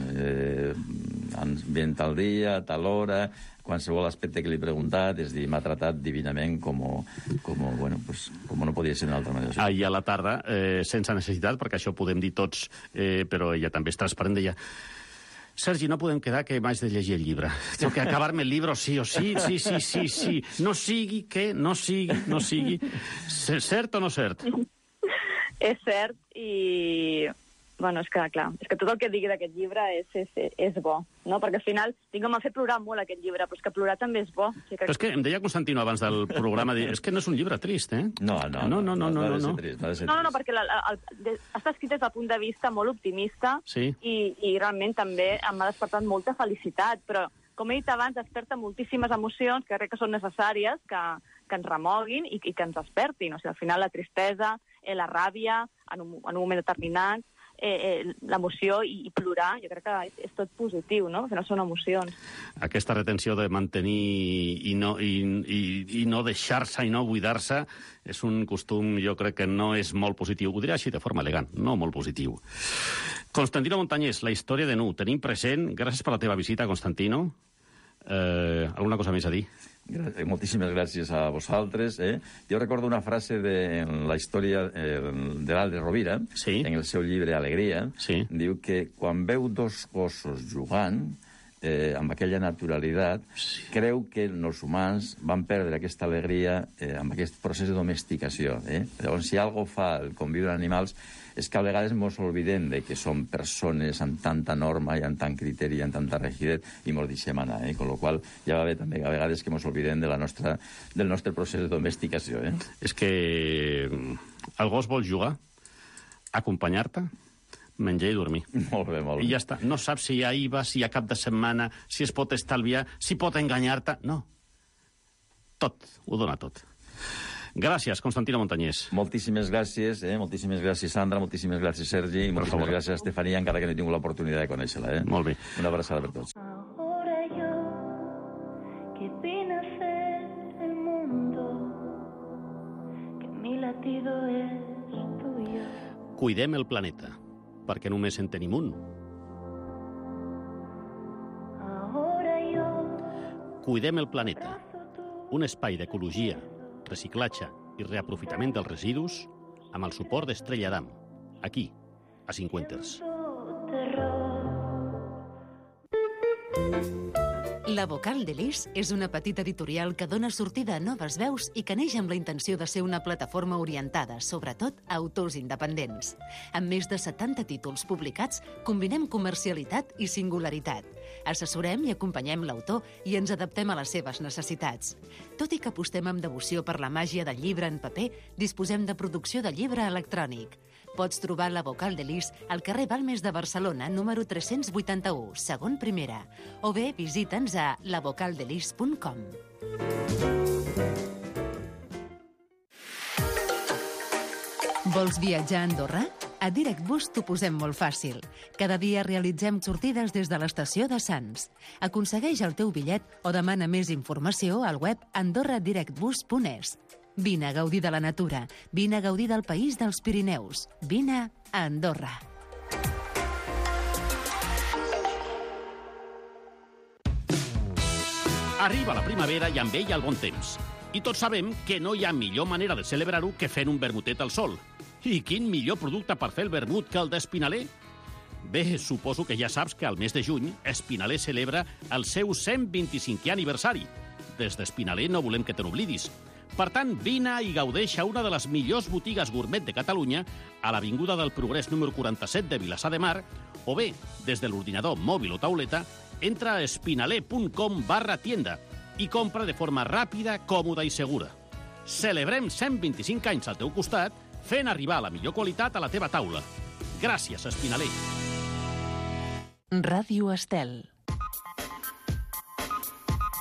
ben tal dia, tal hora, qualsevol aspecte que li he preguntat, és dir, m'ha tratat divinament com no podia ser d'una altra manera. Ahir a la tarda, sense necessitat, perquè això ho podem dir tots, però ella també és transparent, deia: Sergi, no podem quedar que m'haig de llegir el llibre. Tengo que acabar-me el llibre sí o sí. Sí. No sigui que, no sigui. Cert o no cert? És cert i... Bueno, és que, clar, és que tot el que digui d'aquest llibre és bo, no? Perquè al final m'ha fet plorar molt aquest llibre, però és que plorar també és bo. O sigui que... Però és que em deia Constantino abans del programa, és que no és un llibre trist, eh? No. No. No, perquè està escrit des del punt de vista molt optimista i realment també m'ha despertat molta felicitat, però com he dit abans, desperta moltíssimes emocions que crec que són necessàries, que ens remoguin i que ens despertin. O sigui, al final la tristesa, la ràbia, en un moment determinat, l'emoció i plorar, jo crec que és tot positiu, no? Al final són emocions. Aquesta retenció de mantenir i no deixar-se i no buidar-se és un costum, jo crec que no és molt positiu. Ho diré així de forma elegant, no molt positiu. Constantino Montañés, la història de Nu. Tenim present, gràcies per la teva visita, Constantino. Alguna cosa més a dir? Moltíssimes gràcies a vosaltres. Jo recordo una frase de la història de l'Alde Rovira, en el seu llibre Alegria, diu que quan veu dos gossos jugant, amb aquella naturalitat, creu que els humans van perdre aquesta alegria amb aquest procés de domesticació. Llavors, si alguna cosa fa el conviure amb animals, és que a vegades ens oblidem de que som persones amb tanta norma i amb tant criteri i amb tanta rigidesa i ens deixem anar. Con la qual ja va bé també a vegades que ens oblidem del nostre procés de domesticació. És que el gos vol jugar, acompanyar-te, menjar i dormir. Molt bé. I ja està. No saps si hi ha IVA, si hi ha cap de setmana, si es pot estalviar, si pot enganyar-te. No. Tot. Ho dona tot. Gràcies, Constantino Montañés. Moltíssimes gràcies, moltíssimes gràcies, Sandra, moltíssimes gràcies, Sergi, i moltíssimes gràcies, Estefania, encara que no he tingut l'oportunitat de conèixer-la. Molt bé. Una abraçada per tots. Ahora yo, que vine a ser el mundo, que mi latido es tuyo. Cuidem el planeta, perquè només en tenim un. Ahora yo, Cuidem el planeta, un espai d'ecologia, reciclatge i reaprofitament dels residus amb el suport d'Estrella Damm, aquí, a Cinquenters. La Vocal de l'Is és una petita editorial que dona sortida a noves veus i que neix amb la intenció de ser una plataforma orientada, sobretot, a autors independents. Amb més de 70 títols publicats, combinem comercialitat i singularitat. Assessorem i acompanyem l'autor i ens adaptem a les seves necessitats. Tot i que apostem amb devoció per la màgia del llibre en paper, disposem de producció de llibre electrònic. Pots trobar la Vocal de l'Is al carrer Balmes de Barcelona, número 381, segon primera, o bé visita'ns a lavocaldelis.com. Vols viatjar a Andorra? A DirectBus t'ho posem molt fàcil. Cada dia realitzem sortides des de l'estació de Sants. Aconsegueix el teu bitllet o demana més informació al web andorradirectbus.es. Vine a gaudir de la natura, vine a gaudir del país dels Pirineus, vine a Andorra. Arriba la primavera i amb ella el bon temps. I tots sabem que no hi ha millor manera de celebrar-ho que fent un vermutet al sol. I quin millor producte per fer el vermut que el d'Espinaler? Bé, suposo que ja saps que al mes de juny Espinaler celebra el seu 125è aniversari. des d'Espinaler no volem que te n'oblidis. Per tant, vine i gaudeix a una de les millors botigues gourmet de Catalunya, a l'Avinguda del Progrés número 47 de Vilassar de Mar, o bé, des de l'ordinador mòbil o tauleta, entra a espinaler.com/tienda i compra de forma ràpida, còmoda i segura. Celebrem 125 anys al teu costat, fent arribar la millor qualitat a la teva taula. Gràcies, Espinaler. Ràdio Estel.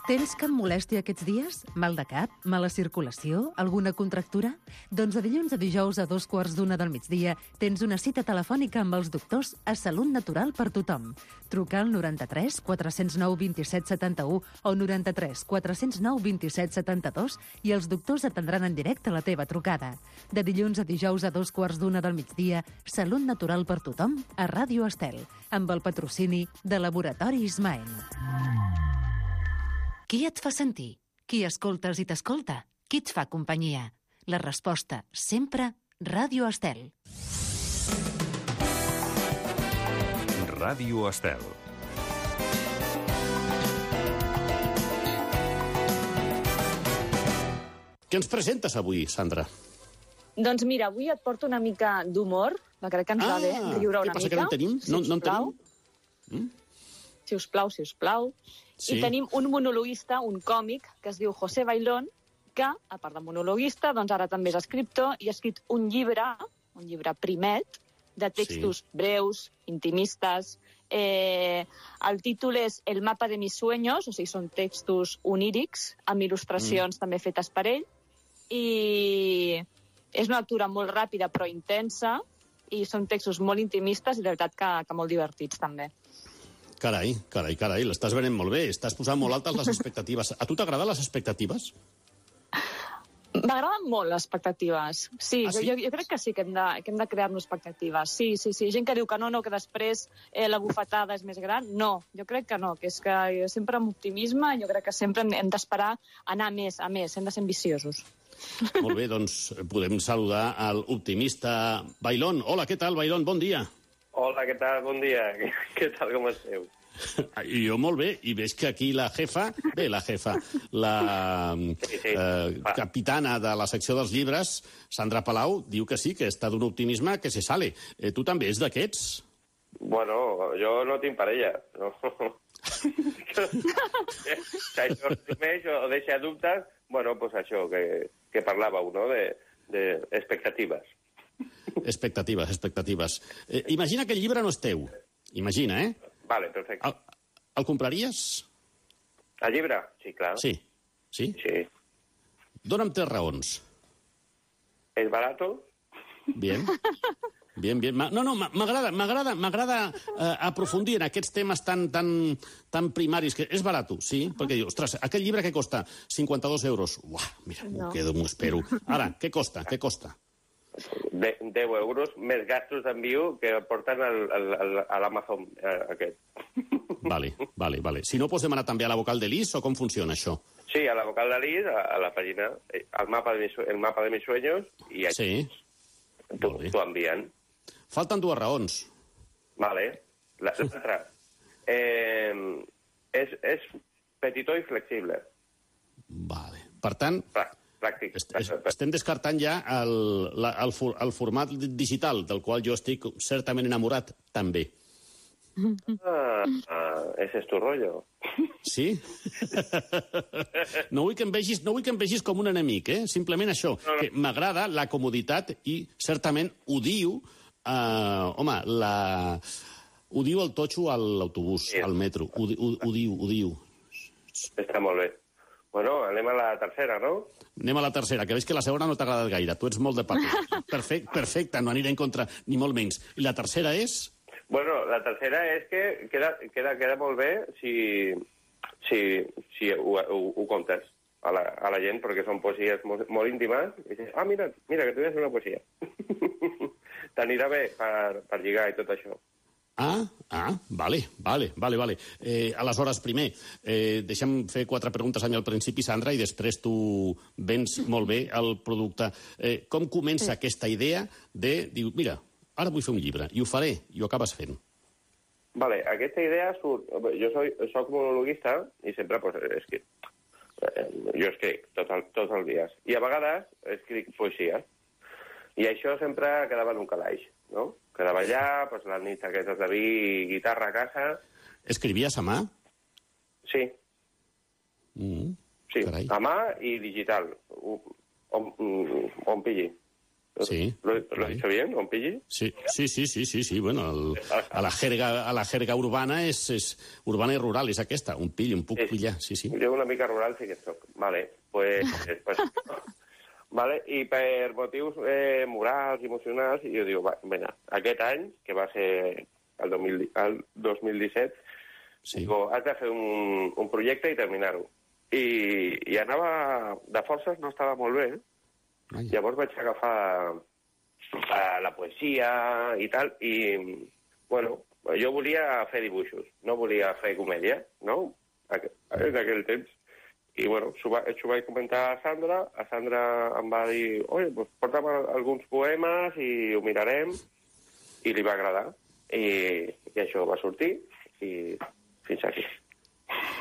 Tens cap molèstia aquests dies? Mal de cap? Mala circulació? Alguna contractura? Doncs de dilluns a dijous a 2:15 del migdia tens una cita telefònica amb els doctors a Salut Natural per tothom. Truca al 93 409 27 71 o 93 409 27 72 i els doctors atendran en directe la teva trucada. De dilluns a dijous a 2:15 del migdia, Salut Natural per tothom a Ràdio Estel, amb el patrocini de Laboratori Ismael. Qui et fa sentir? Qui escoltes i t'escolta? Qui et fa companyia? La resposta, sempre, Ràdio Estel. Ràdio Estel. Què ens presentes avui, Sandra? Doncs mira, avui et porto una mica d'humor, que crec que ens va bé riure una mica. Què passa, que no en tenim? No en tenim? Sisplau. Sí. I tenim un monologuista, un còmic, que es diu José Bailón, que, a part de monologuista, doncs ara també és escriptor i ha escrit un llibre primet, de textos breus, intimistes. El títol és El mapa de mis sueños, o sigui, són textos onírics, amb il·lustracions també fetes per ell, i és una lectura molt ràpida però intensa, i són textos molt intimistes i de veritat que molt divertits també. Carai, l'estàs venent molt bé. Estàs posant molt altes les expectatives. A tu t'agraden les expectatives? M'agraden molt les expectatives. Sí, sí? Jo crec que sí que hem de crear-nos expectatives. Sí. Gent que diu que no, que després la bufetada és més gran. No, jo crec que no, que és que sempre amb optimisme jo crec que sempre hem d'esperar anar a més, hem de ser ambiciosos. Molt bé, doncs podem saludar al optimista Bailón. Hola, què tal, Bailón? Bon dia. Hola, què tal? Bon dia. Què tal, com esteu? Jo molt bé, i veig que aquí la capitana de la secció dels llibres, Sandra Palau, diu que sí, que està d'un optimisme que se sale. Tu també ets d'aquests? Bueno, jo no tinc parella, no. Si això resumeix o deixa dubtes, bueno, pues això que parlàveu, no?, d'expectatives. Expectatives. Imagina que el llibre no és teu. Imagina, eh? Vale, perfecte. El compraries? El llibre? Sí, clar. Sí. Sí? Sí. Dóna'm 3 raons. ¿Es barato? Bien. No, m'agrada aprofundir en aquests temes tan primaris. Que és barat, sí? Perquè diu, ostres, aquest llibre què costa? 52 euros. Uah, mira, m'ho espero. Ara, què costa? 10 euros, més gastos d'enviu que porten a l'Amazon aquest. Vale. Si no, pots demanar també a la vocal de l'IS o com funciona això? Sí, a la vocal de l'IS, a la pàgina, el mapa de mis sueños, i aquí t'ho envien. Falten 2 raons. Vale. L'altra. És petitó i flexible. Vale. Per tant, pràctic. Estem descartant ja el format digital, del qual jo estic certament enamorat, també. Ese es tu rollo. Sí? No vull que em vegis com un enemic, eh? Simplement això, que m'agrada la comoditat i certament odio, odio el totxo a l'autobús, al metro. Odio. Està molt bé. Bueno, anem a la tercera, no? Anem a la tercera, que veig que la segona no t'ha agradat gaire. Tu ets molt de paper. Perfecte, no aniré en contra, ni molt menys. I la tercera és? Bueno, la tercera és que queda molt bé si ho comptes a la gent, perquè són poesies molt íntimes. I dius, mira, que tu has una poesia. T'anirà bé per lligar i tot això. Vale. Aleshores, primer, deixa'm fer 4 preguntes a mi al principi, Sandra, i després tu vens molt bé el producte. Com comença aquesta idea de dir, mira, ara vull fer un llibre, i ho faré, i ho acabes fent? Vale, aquesta idea surt... Jo soc monologuista i sempre Jo escric tots els dies. I a vegades escric poesia. I això sempre quedava en un calaix, no? Quedava allà, doncs, les nits aquestes de vi i guitarra a casa. Escrivies a mà? Sí. Sí, carai. a mà i digital. On pilli. Sí. ¿Lo he dicho bien, on pilli? Sí. Bueno, a la jerga urbana és urbana i rural, és aquesta. Un pill, un puc pillar, sí. Jo una mica rural sí que soc. Vale, pues vale, i per motius morals i emocionals, jo dic, vinga, aquest any, que va ser el 2017, digo, has de fer un projecte i terminar-ho. I anava... De forces no estava molt bé. Llavors vaig agafar la poesia i tal, i, bueno, jo volia fer dibuixos, no volia fer comèdia, no?, en aquell temps. I, bueno, ho vaig comentar a Sandra em va dir, oi, pues porta'm alguns poemes i ho mirarem, i li va agradar. I això va sortir, i fins aquí.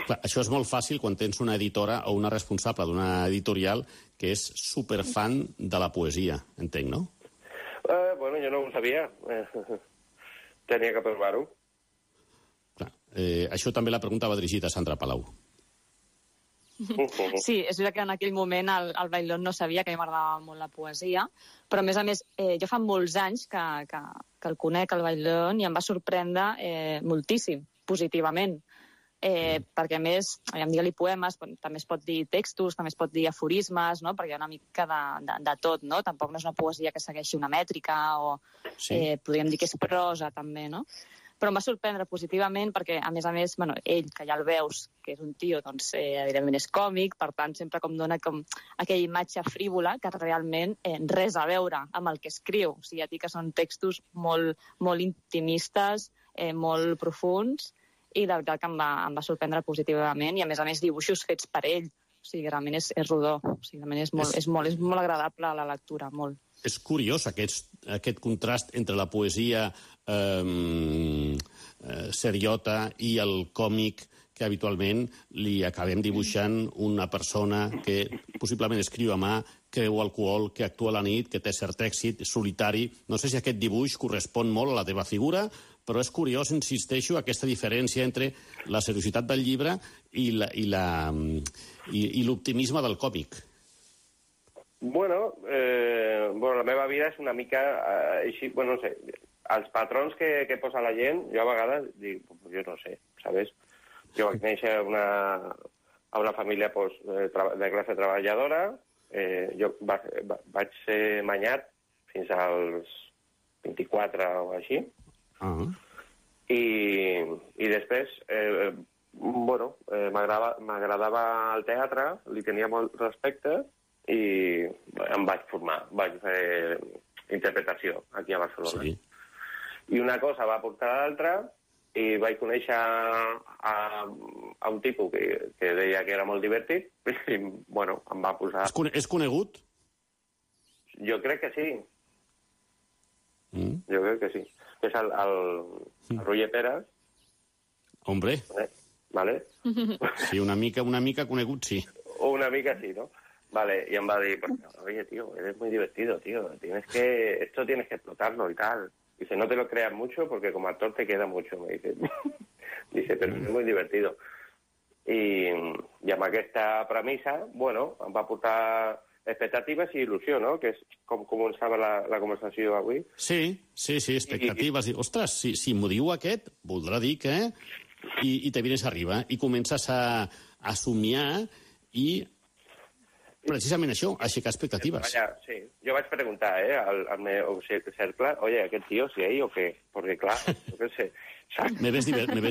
Clar, això és molt fàcil quan tens una editora o una responsable d'una editorial que és superfan de la poesia, entenc, no? Bueno, jo no ho sabia. Tenia que provar-ho. Clar, això també la pregunta va dirigida a Sandra Palau. Sí, és veritat que en aquell moment el Bailón no sabia que a mi m'agradava molt la poesia, però a més, jo fa molts anys que el conec, el Bailón, i em va sorprendre moltíssim, positivament. Perquè, a més, digue-li poemes, també es pot dir textos, també es pot dir aforismes, no? Perquè hi ha una mica de tot, no? Tampoc no és una poesia que segueixi una mètrica, o podríem dir que és prosa, també, no? Però em va sorprendre positivament perquè, a més, bueno, ell, que ja el veus, que és un tio, doncs, evidentment és còmic, per tant, sempre com dona com aquella imatge frívola que realment res a veure amb el que escriu. O sigui, ja dic que són textos molt, molt intimistes, molt profuns, i la veritat que em va sorprendre positivament, i a més dibuixos fets per ell. O sigui, realment és rodó. O sigui, realment és molt agradable la lectura, molt. És curiós aquest contrast entre la poesia seriota i el còmic que habitualment li acabem dibuixant una persona que possiblement escriu a mà, que beu alcohol, que actua a la nit, que té cert èxit, solitari. No sé si aquest dibuix correspon molt a la teva figura, però és curiós, insisteixo, aquesta diferència entre la seriositat del llibre i l'optimisme del còmic. Bueno, la meva vida és una mica així, bueno, no sé, els patrons que posa la gent, jo a vegades dic, jo no sé, ¿sabes? Jo vaig néixer a una família de classe treballadora, jo vaig ser manyat fins als 24 o així, i després, m'agradava el teatre, li tenia molt respecte i em vaig formar, vaig fer interpretació aquí a Barcelona. Sí. I una cosa va portar a l'altra i vaig conèixer a un tipus que deia que era molt divertit i, bueno, em va posar... És conegut? Jo crec que sí. Jo crec que sí. És el Roger Peres. Hombre. Vale. Sí, una mica conegut, sí. Una mica sí, ¿no? Vale, y em va dir, oye, tío, eres muy divertido, tío. Esto tienes que explotarlo y tal. Dice, no te lo creas mucho porque como actor te queda mucho, me dice. Dice, pero es muy divertido. I amb aquesta premissa, bueno, em va portar expectatives i il·lusió, no? Que és com començava la conversació avui. Sí, expectatives. Ostres, si m'ho diu aquest, voldrà dir que... I te vienes arriba, i comences a somiar i precisament això, aixecar expectatives. Sí, jo vaig preguntar al meu cercle, oye, aquest tío, si ahí o qué? Porque, clar, yo qué sé. ¿Me ves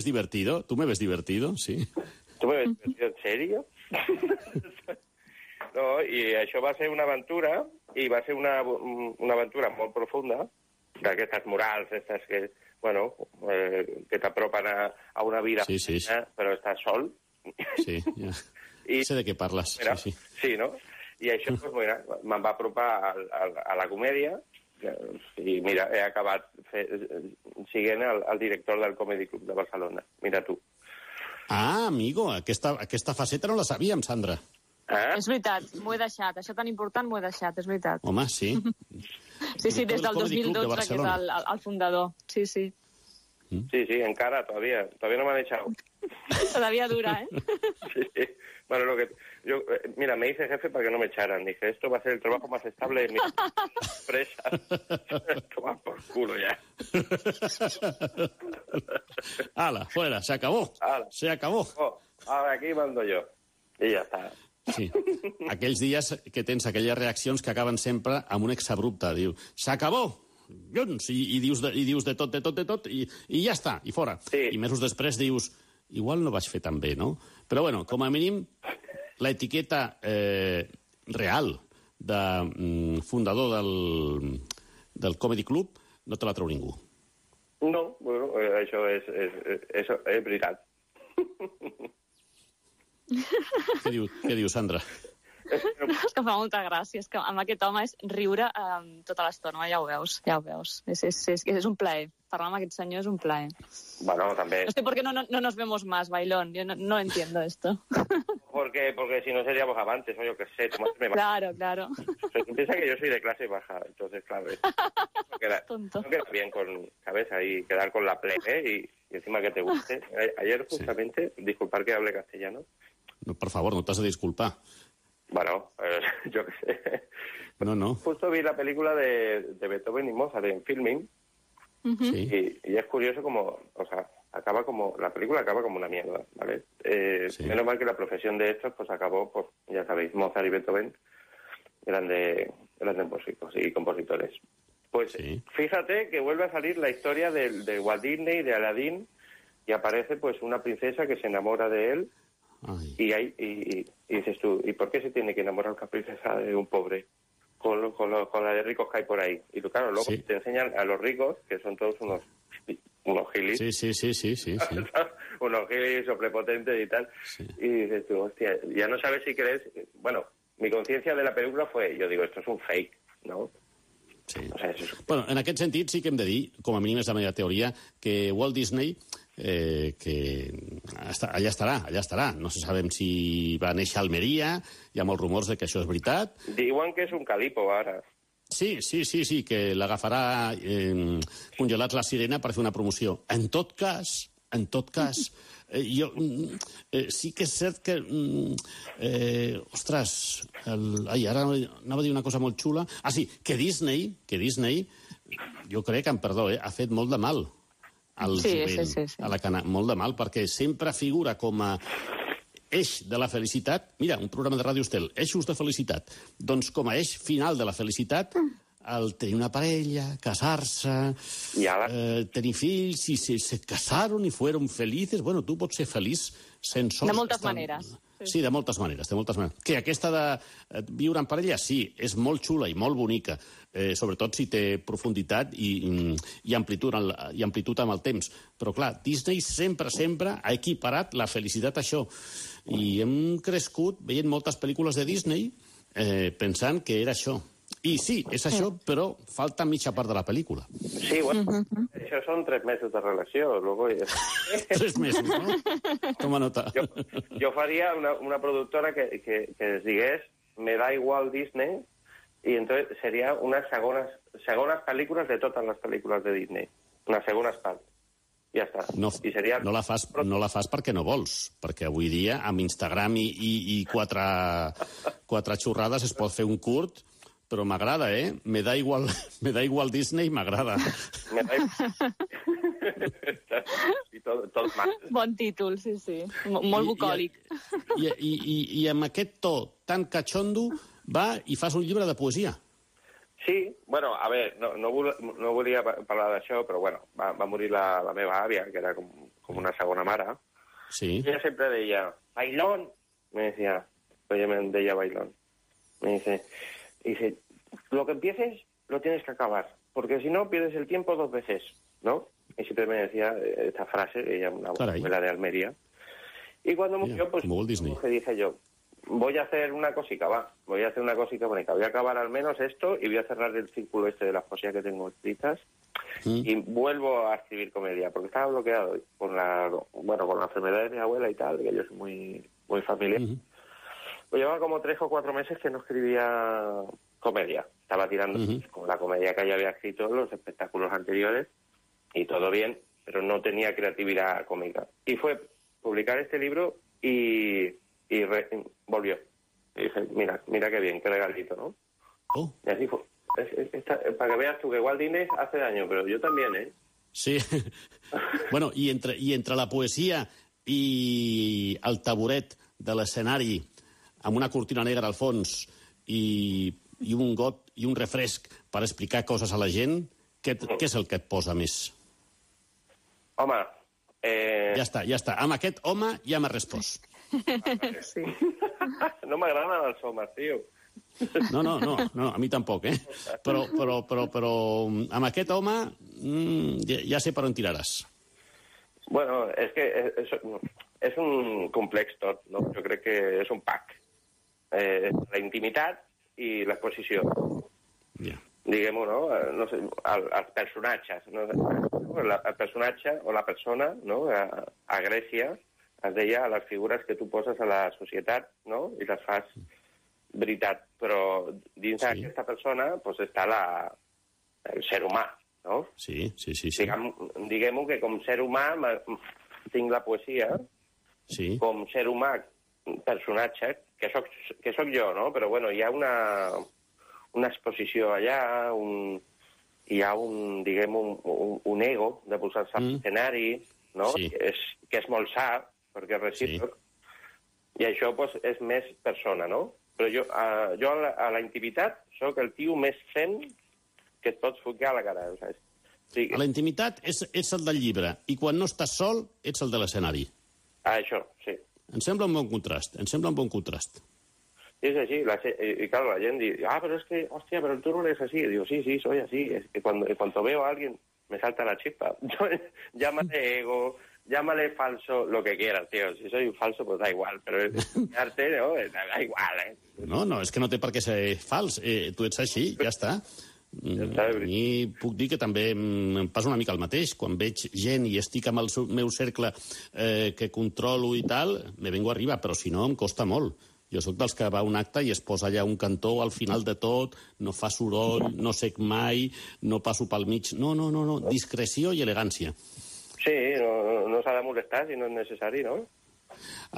divertido? ¿Tú me ves divertido? Sí. ¿Tú me ves divertido? ¿En serio? No, i això va ser una aventura, i va ser una aventura molt profunda, d'aquestes morals, aquestes que, bueno, que t'apropen a una vida, però estàs sol. Sí, ja. Sé de què parles. Mira, sí, no? I això, pues, mira, me'n va apropar a la comèdia, i mira, he acabat siguent el director del Comedy Club de Barcelona. Mira tu. Ah, amigo, aquesta faceta no la sabíem, Sandra. És veritat, m'ho he deixat. Això tan important m'ho he deixat, és veritat. Home, sí. Sí, des del 2012, que és el fundador. Sí. Sí, encara, todavía no me han echado. Todavía dura, ¿eh? Sí. Bueno, mira, me hice jefe para que no me echaran. Dije, esto va a ser el trabajo más estable de mi empresa. Toma por culo ya. ¡Hala, fuera! ¡Se acabó! ¡Se acabó! Ahora aquí mando yo. I ja està. Sí. Aquells dies que tens aquelles reaccions que acaben sempre amb un exabrupte. Diu, s'acabó! I dius de tot, i ja està, i fora. Sí. I mesos després dius, igual no vaig fer tan bé, no? Però, bueno, com a mínim, l'etiqueta real de fundador del Comedy Club no te la treu ningú. No, bueno, això és veritat. Què diu, Sandra? És que fa molta gràcia, és que amb aquest home és riure tota l'estona, ja ho veus. És un plaer. Parlar amb aquest senyor és un plaer. Bueno, també. No sé por qué no nos vemos más, Bailón. Yo no entiendo esto. Porque si no seríamos amantes, o yo qué sé. Claro. Piensa que yo soy de clase baja, entonces, claro. No queda bien con cabeza y quedar con la plebe y encima que te guste. Ayer, justamente, disculpar que hable castellano. No, por favor, no t'has de disculpar. Bueno, yo qué sé. No. Justo vi la película de Beethoven y Mozart en Filming. Sí. Y es curioso como, o sea, la película acaba como una mierda, ¿vale? Sí. Menos mal que la profesión de estos, pues acabó, pues ya sabéis, Mozart y Beethoven grandes músicos y compositores. Pues sí. Fíjate que vuelve a salir la historia de Walt Disney, de Aladdin, y aparece pues una princesa que se enamora de él. Y dices tú, ¿y por qué se tiene que enamorar una princesa de un pobre? Con la de ricos que hay por ahí. Y claro, luego te enseñan a los ricos, que son todos unos gilis. Sí. Unos gilis o prepotentes y tal. Sí. Y dices tú, hostia, ya no sabes si crees... Bueno, mi conciencia de la película fue, yo digo, esto es un fake, ¿no? Sí. O sea, bueno, en aquest sentit sí que hem de dir, com a mínim és la meva teoria, que Walt Disney que allà estarà. No sabem si va néixer a Almeria, hi ha molts rumors de que això és veritat. Diuen que és un calipo, ara. Sí, que l'agafarà congelats la sirena per fer una promoció. En tot cas, sí que és cert que... ara anava a dir una cosa molt xula. Sí, que Disney, jo crec, amb perdó, ha fet molt de mal al jovent, a la cana. Molt de mal, perquè sempre figura com a eix de la felicitat. Mira, un programa de Ràdio Estel, eixos de felicitat. Doncs com a eix final de la felicitat, el tenir una parella, casar-se, tenir fills, i se casaron i fueron felices. Bueno, tu pots ser feliç sense... De moltes maneres. Sí, de moltes maneres. Que aquesta de viure en parella, sí, és molt xula i molt bonica, sobretot si té profunditat i amplitud amb el temps. Però, clar, Disney sempre ha equiparat la felicitat a això. I hem crescut veient moltes pel·lícules de Disney pensant que era això. I sí, és això, però falta mitja part de la pel·lícula. Sí, bueno, això són 3 mesos de relació. Luego... 3 mesos, no? Toma nota. Jo faria una productora que es digués Me da igual Disney, y entonces sería unas segones pel·lícules de totes les pel·lícules de Disney. Unes segones parts. Ja està. No la fas perquè no vols, perquè avui dia amb Instagram i 4 xorrades es pot fer un curt. Però m'agrada, Me da igual Disney, m'agrada. Bon títol, sí. Molt bucòlic. I amb aquest to tan cachondo va i fas un llibre de poesia. Sí, bueno, a ver, no volia parlar d'això, però bueno, va morir la meva àvia, que era com una segona mare. Sí. Ella sempre deia, Bailón, me decía, ella me deia Bailón. Me dice, lo que empieces lo tienes que acabar, porque si no pierdes el tiempo 2 veces, ¿no? Y siempre me decía esta frase, ella una abuela de Almería. Y cuando murió, pues dije yo, voy a hacer una cosica bonita, voy a acabar al menos esto y voy a cerrar el círculo este de las poesías que tengo escritas y vuelvo a escribir comedia, porque estaba bloqueado con la enfermedad de mi abuela y tal, que yo soy muy familiar. Pues llevaba como 3 o 4 meses que no escribía comedia. Estaba tirando con la comedia que ya había escrito en los espectáculos anteriores y todo bien, pero no tenía creatividad cómica. Y fue publicar este libro y volvió. Y dije, mira qué bien, qué regalito, ¿no? Oh. Y así fue. Para que veas tú que Walt Disney hace daño, pero yo también, ¿eh? Sí. Bueno, i entre la poesia i el taburet de l'escenari amb una cortina negra al fons i un got i un refresc per explicar coses a la gent, què és el que et posa més? Home... Ja està. Amb aquest home ja m'ha respost. Sí. No m'agraden els homes, tio. No, a mi tampoc, eh? Però amb aquest home ja sé per on tiraràs. Bueno, és que és un complex tot, no? Jo crec que és un pack. La intimitat i l'exposició. Ja. Diguem-ho, no? No sé, els personatges, no? El personatge o la persona, no? A Grècia es deia les figures que tu poses a la societat, no? I les fas veritat, però dins d'aquesta persona doncs, està el ser humà, no? Sí. Diguem-ho que com ser humà tinc la poesia, com ser humà personatge, que soc jo, no? Però bueno, hi ha una exposició allà, hi ha un ego de posar-se a l'escenari, no? Que és molt sa, perquè és recíproc, i això doncs, és més persona, no? Però jo a la intimitat sóc el tio més zen que et pots focar a la cara. A la intimitat ets el del llibre, i quan no estàs sol ets el de l'escenari. Això, sí. Em sembla un bon contrast. És així, y claro, la gent diu, pero es que, hostia, pero tú no eres así. Y digo, sí, soy así. Es que cuando veo a alguien me salta la chispa. Llámale ego, llámale falso, lo que quieras, tío. Si soy falso, pues da igual, pero es arte, ¿no? Da igual, ¿eh? No, és que no té per què ser fals. Tu ets així, ja està. A mi puc dir que també em passa una mica el mateix. Quan veig gent i estic amb el meu cercle que controlo i tal, me vengo arriba, però si no em costa molt. Jo sóc dels que va a un acte i es posa allà un cantó al final de tot, no fa soroll, no sec mai, no passo pel mig. No, discreció i elegància. Sí, no s'ha de molestar si no és necessari, no?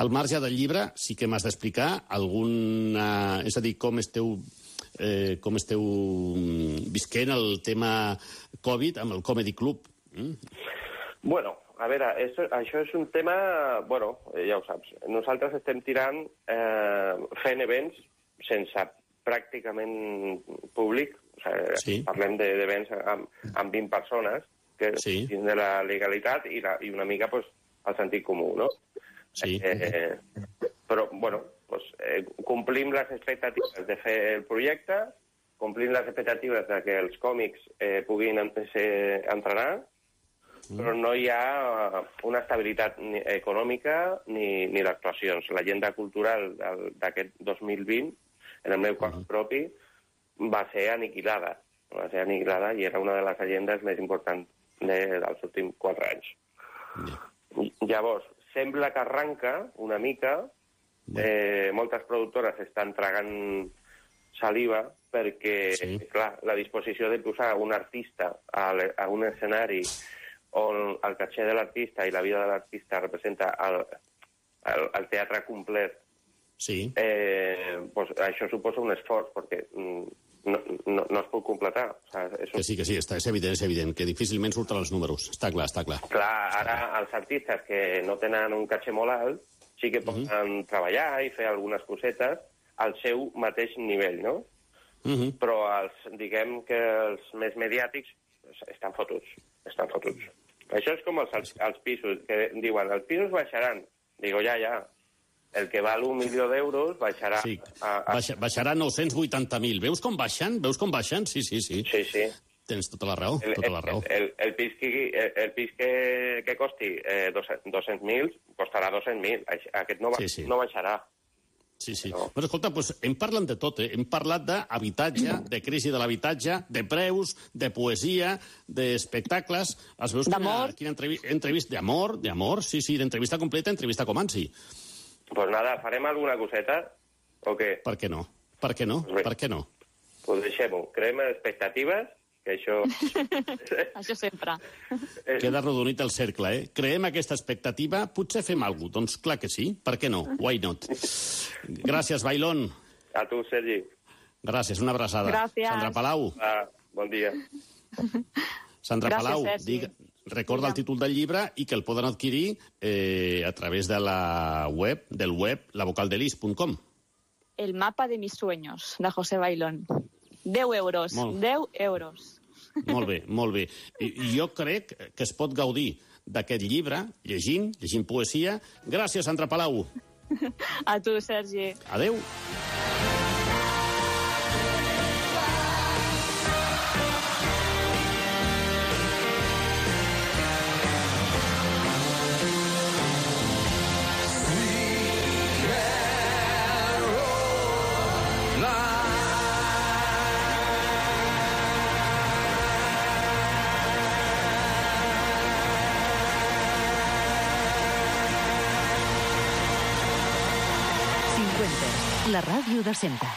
Al marge del llibre sí que m'has d'explicar alguna... És a dir, com esteu visquent el tema Covid amb el Comedy Club. Bueno, a veure, això és un tema... Bueno, ja ho saps. Nosaltres estem tirant fent events sense pràcticament públic. O sigui, parlem d'events amb 20 persones, que dins de la legalitat i una mica pues, el sentit comú, no? Sí. Però, bueno, pues, complim les expectatives de fer el projecte, complim les expectatives de que els còmics puguin entrenar, però no hi ha una estabilitat econòmica ni d'actuacions. L'agenda cultural d'aquest 2020, en el meu cas propi, va ser aniquilada. I era una de les agendes més importants dels últims 4 anys. Llavors, sembla que arranca una mica. Moltes productores estan tragant saliva perquè, clar, la disposició de posar un artista a un escenari on el caché de l'artista i la vida de l'artista representa el teatre complet, pues això suposa un esforç, perquè no es pot completar. Que sí, és evident, que difícilment surten els números. Està clar. Clar, ara els artistes que no tenen un caché molt alt sí que poden treballar i fer algunes cosetes al seu mateix nivell, no? Però diguem que els més mediàtics estan fotuts. Això és com els pisos, que diuen, els pisos baixaran. Digo, ja. El que val 1 milió d'euros baixarà... Sí, baixarà 980.000. Veus com baixen? Sí. Sí. Tens tota la raó. El pis que costi 200.000 costarà 200.000. Aquest no baixarà. Sí. Però escolta, hem parlat de tot, Hem parlat d'habitatge, de crisi de l'habitatge, de preus, de poesia, d'espectacles. D'amor. Quina entrevista? D'amor, sí, d'entrevista completa, entrevista com ansi. Pues nada, farem alguna coseta O què? Per què no? Per què no? Pues Per què no? Pues deixem-ho. Creem expectatives, que això... Això sempre. Queda arrodonit el cercle, eh? Creem aquesta expectativa, potser fem alguna cosa. Doncs clar que sí, per què no? Why not? Gràcies, Bailón. A tu, Sergi. Gràcies, una abraçada. Gràcies. Sandra Palau. Bon dia. Sandra Gràcies, Palau, Sergi. recorda el títol del llibre i que el poden adquirir a través de la web, lavocaldelis.com. El mapa de mis sueños, de José Bailón. 10 euros, 10 euros. Molt bé, molt bé. I jo crec que es pot gaudir d'aquest llibre, llegint poesia. Gràcies, Sandra Palau. A tu, Sergi. Adeu. La ràdio de sempre.